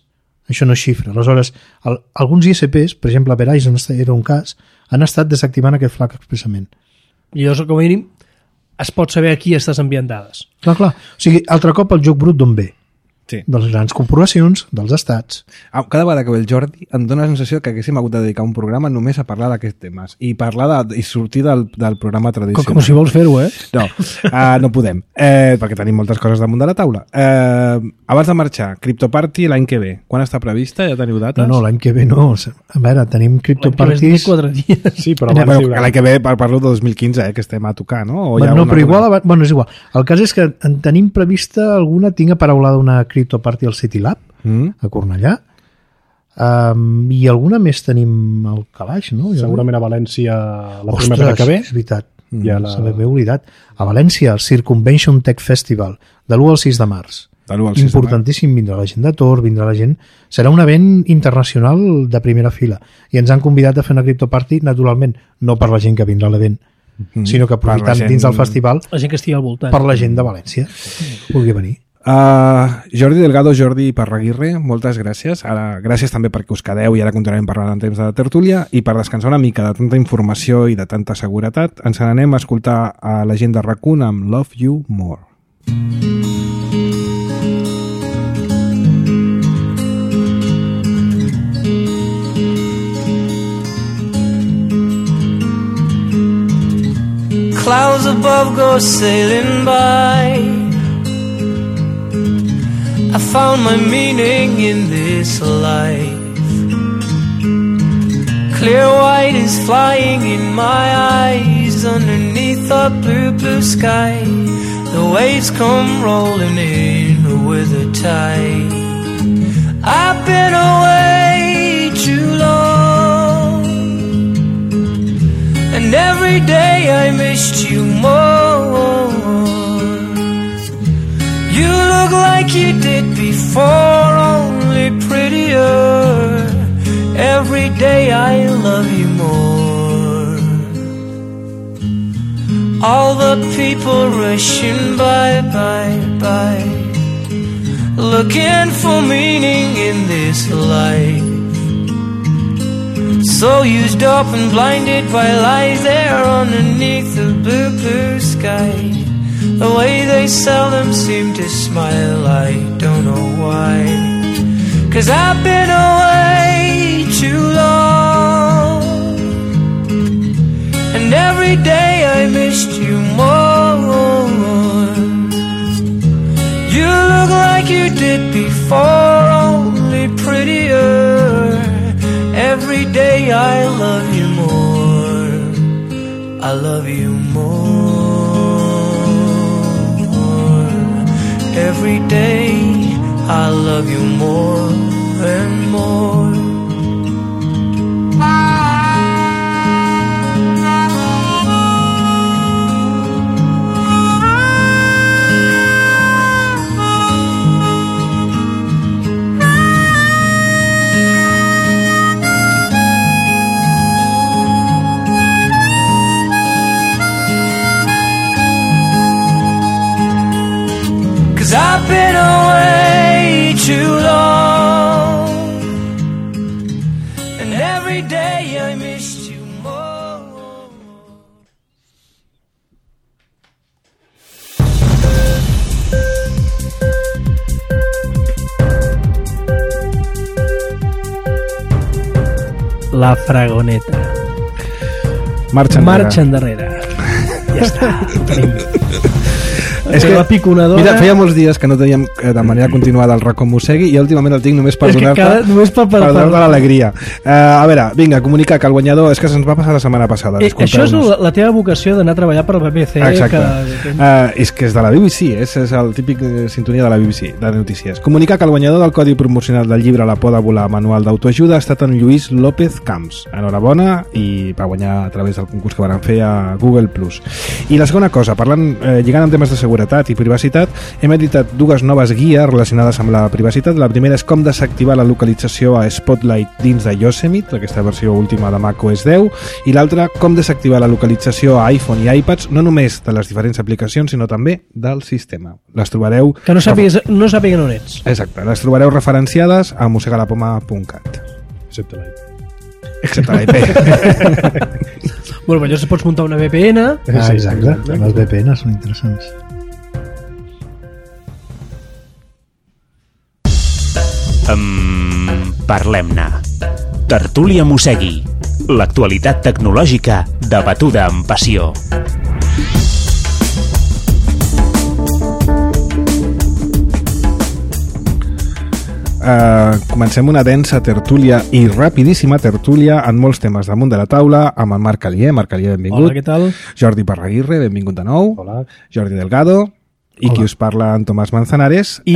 Això no es xifra. Aleshores, alguns ISPs, per exemple, Verizon era un cas, han estat desactivant aquest flag expressament. I llavors, com a mínim, es pot saber a qui estàs enviant dades. Clar. O sigui, altre cop el joc brut d'on ve? Sí. De les grans corporacions, dels estats. Cada vegada que ve el Jordi em dóna la sensació que haguéssim hagut de dedicar un programa només a parlar d'aquests temes i i sortir del programa tradicional. Com si vols fer-ho, No, no podem, perquè tenim moltes coses damunt de la taula. Abans de marxar, CryptoParty l'any que ve, quan està prevista? Ja teniu dates? No, l'any que ve no. A veure, tenim CryptoParties... L'any que ve 4 dies. Sí, però l'any que ve parlo de 2015, que estem a tocar, no? Però igual... Bueno, és igual. El cas és que en tenim prevista alguna, tinc aparaulada una CryptoParty al City Lab, a Cornellà, i alguna més tenim al calaix, no? Segurament a València la primera que ve. És veritat, se m'havia oblidat. A València, el Circumvention Tech Festival, de l'1 al 6 de març. de l'1 al 6 de maig. Importantíssim, vindrà la gent de Tor, vindrà la gent... Serà un event internacional de primera fila. I ens han convidat a fer una criptoparty, naturalment, no per la gent que vindrà a l'event, sinó que aprofitant gent... dins del festival La gent que estigui al voltant. per la gent de València. Pugui venir. Jordi Delgado, Jordi Parraguirre, moltes gràcies. Ara, gràcies també perquè us quedeu i ara continuarem parlant en temps de tertúlia, i per descansar una mica de tanta informació i de tanta seguretat ens n'anem a escoltar a la gent de RAC1 amb Love You More. Clouds above go sailing by. I found my meaning in this life. Clear white is flying in my eyes underneath a blue, blue sky. The waves come rolling in with a tide. I've been away too long, and every day I missed you more. You look like you did before, only prettier. Every day I love you more. All the people rushing by, looking for meaning in this life. So used up and blinded by lies there underneath the blue, blue sky. The way they seldom seem to smile, I don't know why. 'Cause I've been away too long, and every day I missed you more. You look like you did before, only prettier. Every day I love you more. I love you more. Every day I love you more and more. I've been away too long, and every day I missed you more. La Fragoneta. Marxa endarrere. Ja està, ho tenim. És que la piconadora... Mira, feia molts dies que no teníem de manera continuada el Racó Mossegui i últimament el tinc només per donar-te l'alegria. A veure, vinga, comunicar que el guanyador és que se'ns va passar la setmana passada. Això és la teva vocació d'anar a treballar per la BBC. Exacte. És que és de la BBC, és el típic sintonia de la BBC, de notícies. Comunicar que el guanyador del codi promocional del llibre La por de volar, manual d'autoajuda, ha estat en Lluís López Camps. Enhorabona, i va guanyar a través del concurs que van fer a Google+. I la segona cosa, lligant amb temes de seguretat i privacitat, hem editat dues noves guies relacionades amb la privacitat. La primera és com desactivar la localització a Spotlight dins de Yosemite, aquesta versió última de macOS 10, i l'altra, com desactivar la localització a iPhone i iPads, no només de les diferents aplicacions, sinó també del sistema. Les trobareu... Que no sàpiguen on ets. Exacte, les trobareu referenciades a mossegalapoma.cat. Excepte l'IP. Bueno, llavors pots muntar una VPN. Exacte, les VPN són interessants. Parlem-ne. Tertúlia Mossegui. L'actualitat tecnològica debatuda amb passió. Comencem una densa tertúlia i rapidíssima tertúlia en molts temes damunt de la taula amb el Marc Alier. Marc Alier, benvingut. Hola, què tal? Jordi Parraguirre, benvingut de nou. Hola. Jordi Delgado. I qui us parla, en Tomàs Manzanares. I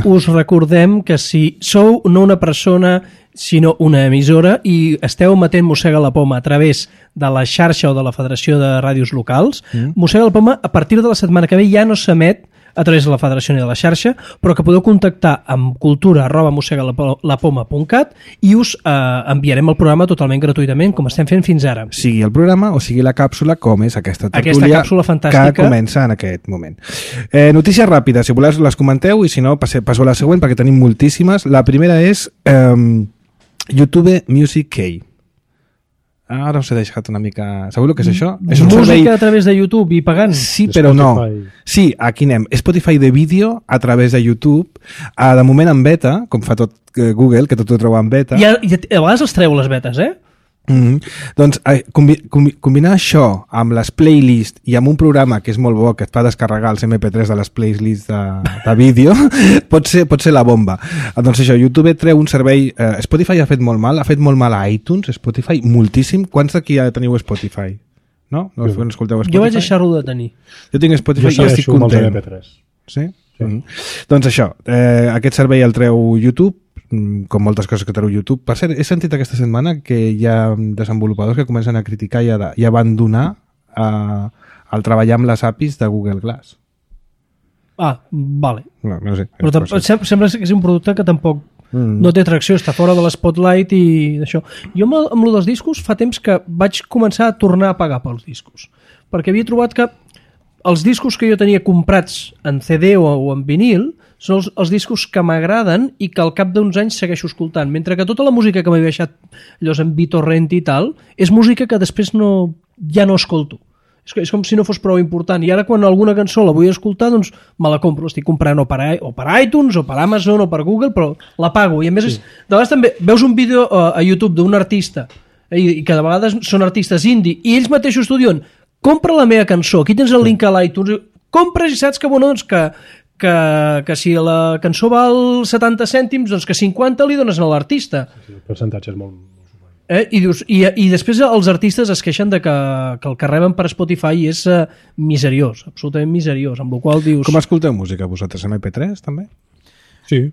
us recordem que si sou no una persona sinó una emissora i esteu emetent Mossega la Poma a través de la xarxa o de la Federació de Ràdios Locals, Mossega la Poma a partir de la setmana que ve ja no s'emet a través de la Federació de la Xarxa, però que podeu contactar amb cultura@mossegalapoma.cat i us enviarem el programa totalment gratuïtament, com estem fent fins ara. Sigui el programa o sigui la càpsula, com és aquesta tertúlia Aquesta càpsula fantàstica que comença en aquest moment. Notícies ràpides, si voleu les comenteu, i si no, passo a la següent perquè tenim moltíssimes. La primera és YouTube Music Key. Ara us he deixat una mica... Sabeu el que és això? És un Música servei... a través de YouTube i pagant? Sí, però no. Sí, aquí anem. Spotify de vídeo a través de YouTube. De moment en beta, com fa tot Google, que tot ho troba en beta. I a vegades els treu les betes, eh? Doncs combinar això amb les playlists i amb un programa que és molt bo, que et fa descarregar els MP3 de les playlists de vídeo, pot ser la bomba. Doncs això, YouTube treu un servei... Spotify ha fet molt mal a iTunes, Spotify, moltíssim. Quants d'aquí ja teniu Spotify? No? No escolteu Spotify? Jo vaig deixar-ho de tenir. Jo tinc Spotify i estic content. MP3. Sí? Doncs això, aquest servei el treu YouTube, com moltes coses que treu YouTube. Per cert, he sentit aquesta setmana que hi ha desenvolupadors que comencen a criticar i abandonar el treballar amb les APIs de Google Glass. Vale. No sé. Però sembla que és un producte que tampoc no té tracció, està fora de l'Spotlight i d'això. Jo amb lo dels discos fa temps que vaig començar a tornar a pagar pels discos, perquè havia trobat que els discos que jo tenia comprats en CD o en vinil són els discos que m'agraden i que al cap d'uns anys segueixo escoltant, mentre que tota la música que m'he baixat allòs en BitTorrent i tal és música que després ja no escolto. És com si no fos prou important, i ara quan alguna cançó la vull escoltar doncs me la compro, l'estic comprant o per iTunes o per Amazon o per Google, però la pago, i a més de vegades també veus un vídeo a YouTube d'un artista i que de vegades són artistes indie i ells mateixos t'ho diuen, compra la meva cançó, aquí tens el link a l'iTunes, compres i saps que, bueno, doncs que si la cançó val 70 cèntims, doncs que 50 li dones a l'artista. El percentatge és molt... I després els artistes es queixen de que el que reben per Spotify és miseriós, absolutament miseriós, amb la qual dius... Com escolteu música vosaltres? MP3 també? Sí.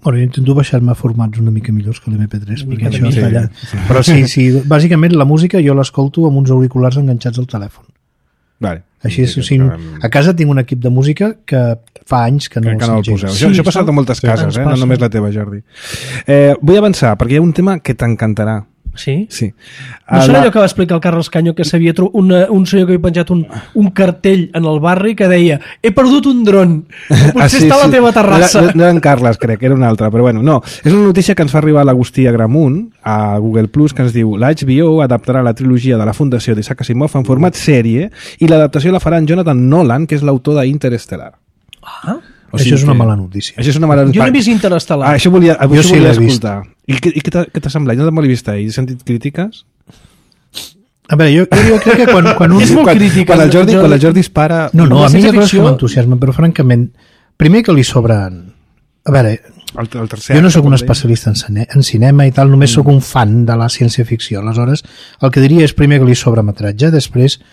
Bueno, jo intento baixar-me formats una mica millors que l'MP3 perquè això està allà. Però sí, bàsicament la música jo l'escolto amb uns auriculars enganxats al telèfon. Vale. Així és, a casa tinc un equip de música que fa anys que no el poseu. Això ha passat a moltes cases, no només la teva, Jordi. Vull avançar, perquè hi ha un tema que t'encantarà. Sí? Sí. No serà allò que va explicar el Carles Caño, que s'havia un senyor que havia penjat un cartell en el barri que deia he perdut un dron, potser està a la teva terrassa. No era en Carles, crec, era un altre, però bueno, no. És una notícia que ens fa arribar l'Agustí Agramunt a Google Plus, que ens diu la HBO adaptarà la trilogia de la Fundació d'Isaac Asimov en format sèrie i l'adaptació la farà en Jonathan Nolan, que és l'autor d'Interstellar. Això és una mala notícia. Això és una mala notícia. Jo no he vist Interstellar. Això volia escoltar. I què t'ha semblat? No te l'he vist ahir. He sentit crítiques? A veure, jo crec que quan un... És molt crítica. Quan el Jordi dispara... No, a mi hi ha coses que m'entusiasmen, però francament, primer que li sobren... A veure, jo no sóc un especialista en cinema i tal, només sóc un fan de la ciència-ficció. Aleshores, el que diria és primer que li sobra metratge, després...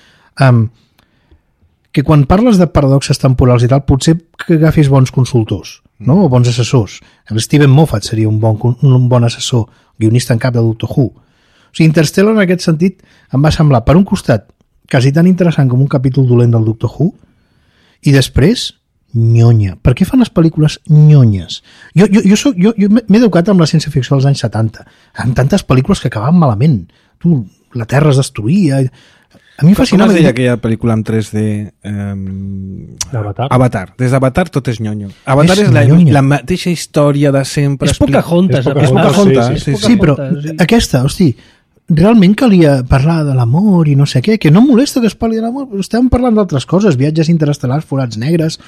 que quan parles de paradoxes temporals i tal, potser que agafis bons consultors, no? O bons assessors. El Steven Moffat seria un bon assessor, guionista en cap de Doctor Who. O sigui, Interstellar en aquest sentit em va semblar, per un costat, quasi tan interessant com un capítol dolent del Doctor Who, i després, nyonya. Per què fan les pel·lícules nyonyes? Jo m'he educat amb la ciència-ficció dels anys 70, amb tantes pel·lícules que acabaven malament. La Terra es destruïa... A mi em fascinava... Com es deia aquella pel·lícula en 3D? Avatar. Des d'Avatar tot és nyonyo. Avatar és la mateixa història de sempre. És Pocahontas. Sí, però aquesta, hosti, realment calia parlar de l'amor i no sé què, que no molesta que es parli de l'amor, estem parlant d'altres coses, viatges interestel·lars, forats negres...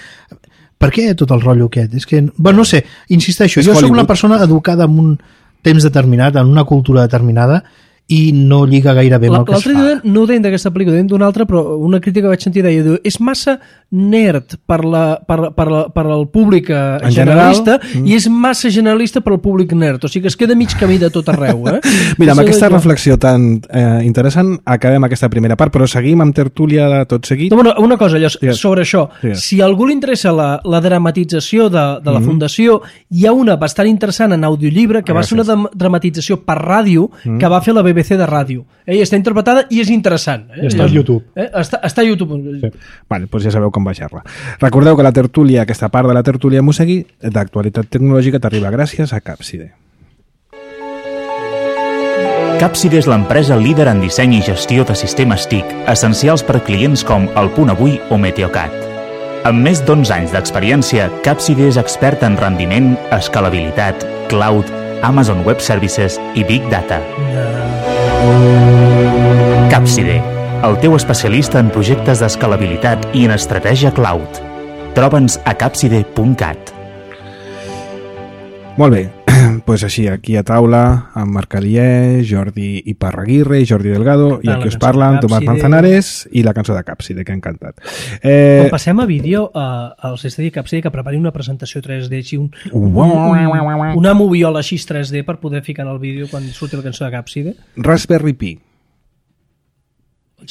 Per què tot el rotllo aquest? És que, bueno, no sé, insisteixo, jo soc una persona educada en un temps determinat, en una cultura determinada, i no lliga gaire bé amb el que es fa. L'altre dia no ho deien d'aquesta pel·lícula, deien d'una altra, però una crítica que vaig sentir deia, és massa nerd per al públic generalista i és massa generalista per al públic nerd, o sigui que es queda mig camí de tot arreu. Mira, amb aquesta reflexió tan interessant acabem aquesta primera part, però seguim amb tertúlia de tot seguit. No, una cosa, sobre això, si a algú li interessa la dramatització de la Fundació, hi ha una bastant interessant en audiollibre que va ser una dramatització per ràdio que va fer la BBC BBC de ràdio. I està interpretada i és interessant. I està a YouTube. Està a YouTube. Sí. Vale, doncs ja sabeu com baixar-la. Recordeu que la tertúlia, aquesta part de la tertúlia Mosegui, d'actualitat tecnològica, t'arriba gràcies a Capside. Capside és l'empresa líder en disseny i gestió de sistemes TIC, essencials per clients com El Punt Avui o Meteocat. Amb més d'11 anys d'experiència, Capside és expert en rendiment, escalabilitat, cloud, Amazon Web Services i Big Data. Capside, el teu especialista en projectes d'escalabilitat i en estratègia cloud. Troba'ns a capside.cat. Molt bé, doncs així, aquí a taula, amb Marc Alié, Jordi Iparraguirre i Jordi Delgado, i aquí us parlen Tomàs Manzanares i la cançó de Capside, que ha encantat. Quan passem a vídeo, els estadi Capside que prepari una presentació 3D, així una moviola així 3D per poder ficar en el vídeo quan surti la cançó de Capside. Raspberry Pi.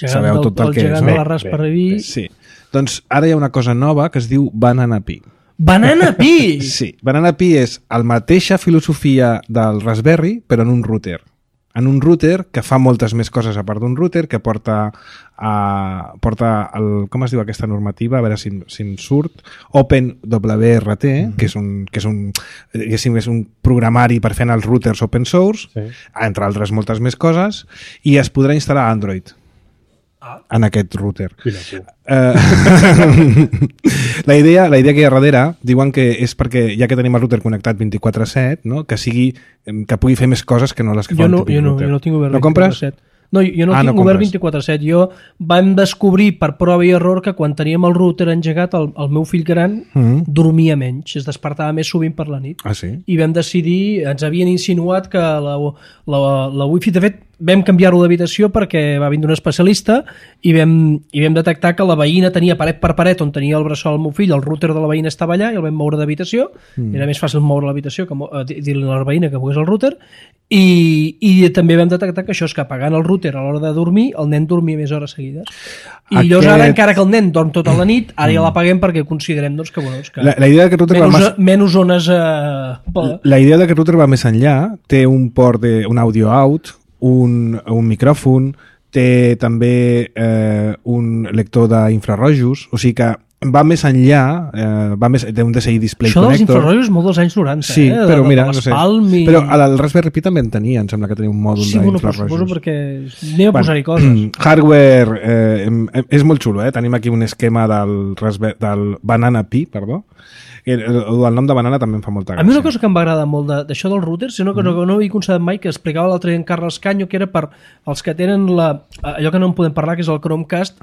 Sabeu tot el que és. El gegant de la Raspberry Pi. Sí. Doncs ara hi ha una cosa nova que es diu Banana Pi. Banana Pi! Sí, Banana Pi és la mateixa filosofia del Raspberry, però en un router. En un router que fa moltes més coses a part d'un router, que porta el, com es diu aquesta normativa, a veure si em surt, OpenWRT, que és un programari per fer els routers open source, sí, entre altres moltes més coses, i es podrà instal·lar Android en aquest router. La idea que hi ha darrere, diuen que és perquè ja que tenim el router connectat 24/7, no? que pugui fer més coses que no les que fa un típic router. Jo no tinc obert 24/7. No compres? No, jo no tinc obert 24/7. Jo vam descobrir per prova i error que quan teníem el router engegat, el meu fill gran dormia menys, es despertava més sovint per la nit. Ah, sí? I vam decidir, ens havien insinuat que la wifi, de fet, vam canviar-ho d'habitació perquè va vindre un especialista i vam detectar que la veïna tenia paret per paret on tenia el bressol el meu fill, el router de la veïna estava allà i el vam moure d'habitació, era més fàcil moure l'habitació que dir-li a la veïna que mogués el router, i també vam detectar que això és que apagant el router a l'hora de dormir, el nen dormia més hores seguides. I llavors ara, encara que el nen dorm tota la nit, ara ja l'apaguem perquè considerem que la idea d'aquest router menys zones... La idea d'aquest router va més enllà, té un port un audio out, un micròfon, té també un lector d'infrarrojos, o sigui que va més enllà, té un DSI Display Connector. Això dels infrarrojos molt dels anys 90, sí, però mira, no sé. Però el Raspberry Pi també en tenia, em sembla que tenia un mòdul d'infrarrojos. Sí, suposo perquè anem a posar-hi coses. Hardware, és molt xulo, tenim aquí un esquema del Banana Pi, perdó. El nom de Banana també em fa molta gràcia. A mi una cosa que em va agradar molt d'això del router, és una cosa que no havia constatat mai, que explicava l'altre dia en Carles Canyo, que era per als que tenen allò que no en podem parlar, que és el Chromecast,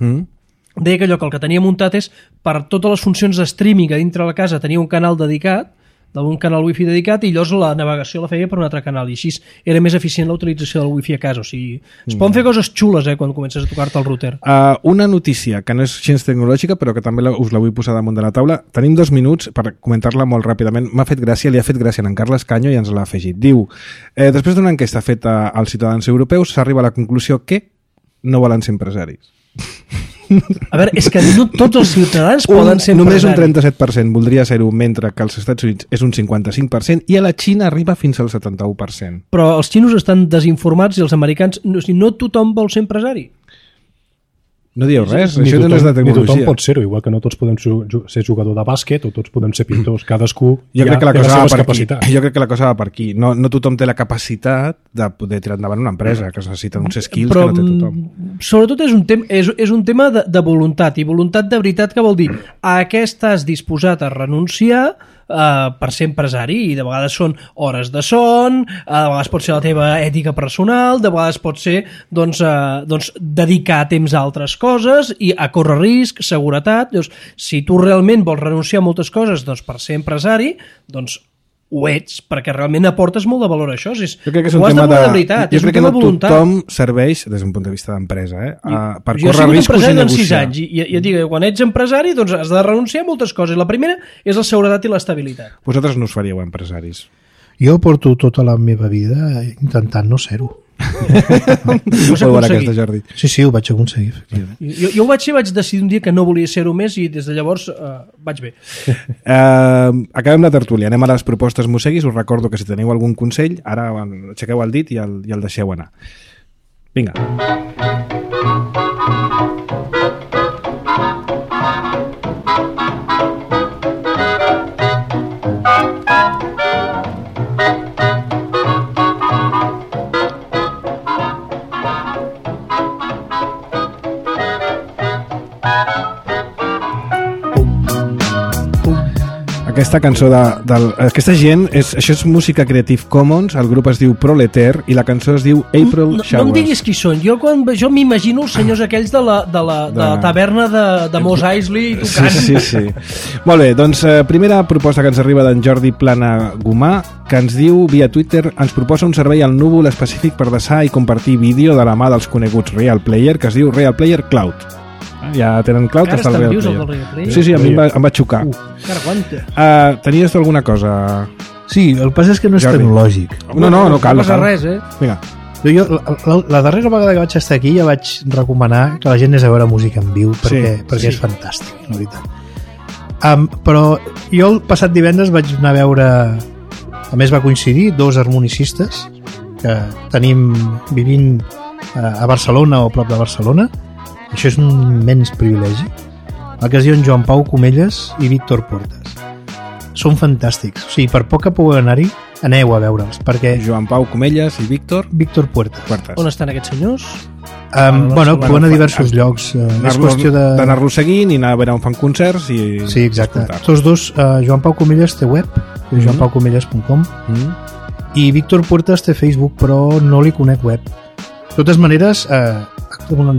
deia que allò que el que tenia muntat és per totes les funcions de streaming a dintre la casa tenia un canal dedicat, d'un canal wifi dedicat, i llavors la navegació la feia per un altre canal, i així era més eficient la utilització del wifi a casa. O sigui, es poden fer coses xules quan comences a tocar-te el router. Una notícia que no és gens tecnològica, però que també us la vull posar damunt de la taula. Tenim 2 minuts per comentar-la molt ràpidament. M'ha fet gràcia, li ha fet gràcia a en Carles Canyo i ens l'ha afegit. Diu, després d'una enquesta feta als ciutadans europeus, s'arriba a la conclusió que no volen ser empresaris. A veure, és que no tots els ciutadans poden ser empresaris. Només un 37% voldria ser-ho, mentre que als Estats Units és un 55%, i a la Xina arriba fins al 71%. Però els xinos estan desinformats i els americans... No tothom vol ser empresari. No dieu res, això no és de tecnologia. Ni tothom pot ser-ho, igual que no tots podem ser jugador de bàsquet o tots podem ser pintors, cadascú jo crec que la cosa va per aquí. Jo crec que la cosa va per aquí. No tothom té la capacitat de poder tirar endavant una empresa, que es necessiten uns skills que no té tothom. Sobretot és un tema de voluntat, i voluntat de veritat, que vol dir a què estàs disposat a renunciar per ser empresari, i de vegades són hores de son, de vegades pot ser la teva ètica personal, de vegades pot ser dedicar temps a altres coses i a córrer risc, seguretat. Llavors, si tu realment vols renunciar a moltes coses per ser empresari, doncs ho ets, perquè realment aportes molt de valor a això. Jo crec que és un tema de veritat, jo crec que no tothom serveix, des d'un punt de vista d'empresa, per córrer riscos i negociar. 6 anys, i et dic, quan ets empresari doncs has de renunciar a moltes coses. La primera és la seguretat i l'estabilitat. Vosaltres no us faríeu empresaris? Jo porto tota la meva vida intentant no ser-ho. Sí, ho vaig aconseguir, efectivament. Jo ho vaig fer, vaig decidir un dia que no volia ser-ho més, i des de llavors vaig bé. Acabem la tertúlia, anem a les propostes Moseguis. Us recordo que si teniu algun consell, ara aixequeu el dit i el deixeu anar. Vinga. Aquesta cançó aquesta gent, això és música Creative Commons, el grup es diu Proleter i la cançó es diu April Showers. No em diguis qui són, jo m'imagino els senyors aquells de la taverna de Mos Eisley tocant. Sí. Molt bé, doncs primera proposta que ens arriba d'en Jordi Plana Gomà, que ens diu via Twitter, ens proposa un servei al núvol específic per desar i compartir vídeo de la mà dels coneguts Real Player, que es diu Real Player Cloud. Ja tenen Cloud, està el Real Player. Sí, a mi em va xocar. Tenies tu alguna cosa? Sí, el que passa és que no és tecnològic. No cal. No passa res, Vinga. Jo, la darrera vegada que vaig estar aquí ja vaig recomanar que la gent anés a veure música en viu perquè és fantàstic, la veritat. Però jo el passat divendres vaig anar a veure, a més va coincidir, dos harmonicistes que tenim vivint a Barcelona o prop de Barcelona. Això és un immens privilegi. El que es diuen Joan Pau Comelles i Víctor Puertas. Són fantàstics. O sigui, per poc que pugueu anar-hi, aneu a veure'ls, perquè... Joan Pau Comelles i Víctor Puertas. On estan aquests senyors? Actuen a diversos llocs. És qüestió d'anar-lo seguint i anar a veure on fan concerts i... Sí, exacte. Tots dos, Joan Pau Comelles té web, joanpaukomelles.com, i Víctor Puertas té Facebook, però no li conec web. De totes maneres,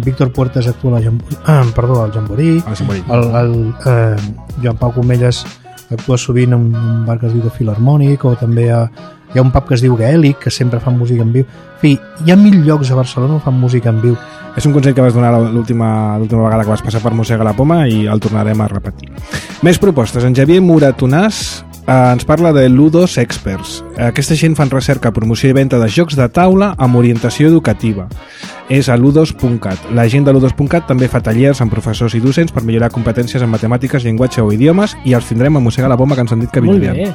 Víctor Puertas actua al Jamboree, Joan Pau Comelles actua sovint en un bar que es diu The Philharmonic, o també hi ha un pub que es diu Gaelic, que sempre fan música en viu. En fi, hi ha 1000 llocs a Barcelona on fan música en viu. És un consell que vas donar l'última vegada que vas passar per Mossega la Poma i el tornarem a repetir. Més propostes. En Xavier Muratonàs ens parla de Ludos Experts. Aquesta gent fan recerca, promoció i venda de jocs de taula amb orientació educativa. És a ludos.cat. La gent de ludos.cat també fa tallers amb professors i docents per millorar competències en matemàtiques, llenguatge o idiomes, i els tindrem a Mossega la Poma, que ens han dit que vindrien.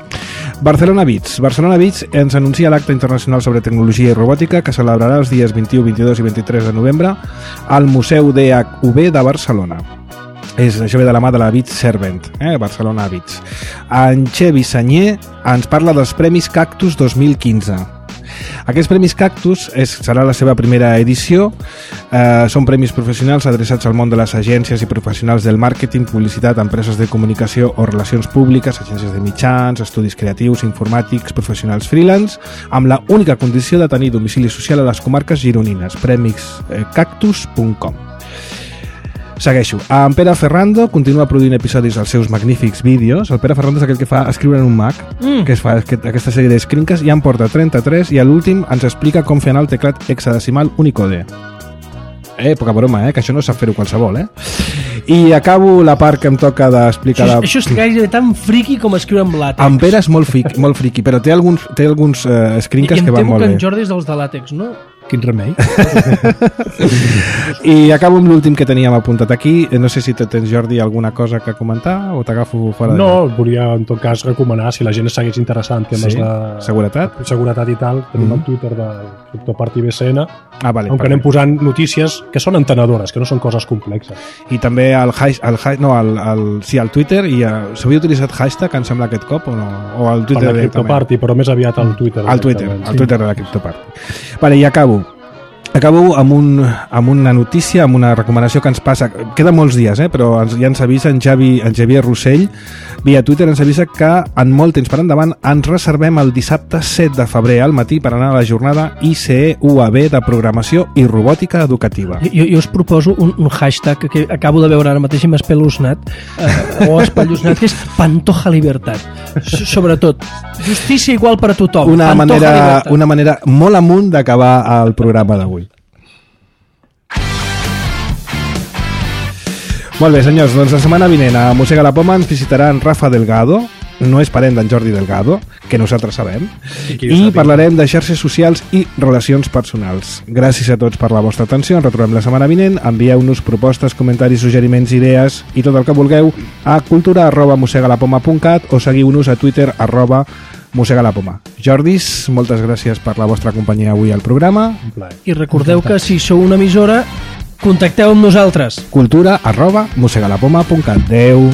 Barcelona Beats. Barcelona Beats ens anuncia l'acte internacional sobre tecnologia i robòtica que celebrarà els dies 21, 22 i 23 de novembre al Museu DHV de Barcelona. Això ve de la mà de la Beats Servent, Barcelona Beats. En Xevi Sanyer ens parla dels Premis Cactus 2015. Aquests Premis Cactus serà la seva primera edició. Són premis professionals adreçats al món de les agències i professionals del màrqueting, publicitat, empreses de comunicació o relacions públiques, agències de mitjans, estudis creatius, informàtics, professionals freelance, amb la única condició de tenir domicili social a les comarques gironines. premiscactus.com. Segueixo. En Pere Ferrando continua produint episodis als seus magnífics vídeos. El Pere Ferrando és aquell que fa escriure en un Mac, que es fa aquesta sèrie d'escrinques, i en porta 33, i a l'últim ens explica com fer anar el teclat hexadecimal Unicode. Poca broma, que això no sap fer-ho qualsevol, I acabo la part que em toca d'explicar... Això és gairebé tan friqui com escriure amb làtex. En Pere és molt friqui, però té alguns escrinques que van molt bé. I em temo que en Jordi és dels de làtex, no? Quin remei. I acabo amb l'últim que teníem apuntat aquí. No sé si tens, Jordi, alguna cosa que comentar o t'agafo fora de... No, volia en tot cas recomanar, si la gent segueix interessant en temes de seguretat i tal, tenim el Twitter del CryptoParty BCN, on anem posant notícies que són entenedores, que no són coses complexes. I també al Twitter, i s'havia utilitzat hashtag, em sembla, aquest cop, o no? O al Twitter per la CryptoParty, però més aviat al Twitter. Al Twitter de la CryptoParty. Vale, i acabo amb una notícia, amb una recomanació que ens passa. Queda molts dies, però ja ens avisa en Xavier Rossell via Twitter, ens avisa que en molt temps per endavant ens reservem el dissabte 7 de febrer al matí per anar a la jornada ICE UAB de programació i robòtica educativa. Jo us proposo un hashtag que acabo de veure ara mateix i m'ha espeluznat, que és Pantoja Libertat. Sobretot, justícia igual per a tothom. Una manera molt amunt d'acabar el programa d'avui. Molt bé, senyors, doncs la setmana vinent a Mossega la Poma ens visitarà en Rafa Delgado, no és parent d'en Jordi Delgado, que nosaltres sabem, qui i parlarem de xarxes socials i relacions personals. Gràcies a tots per la vostra atenció, ens retrobem la setmana vinent, envieu-nos propostes, comentaris, suggeriments, idees i tot el que vulgueu a cultura@mosegalapoma.cat o seguiu-nos a Twitter @mosegalapoma. Jordis, moltes gràcies per la vostra companyia avui al programa. I recordeu que si sou una emissora, contacteu amb nosaltres. cultura@mosegalapoma.cat. Adeu.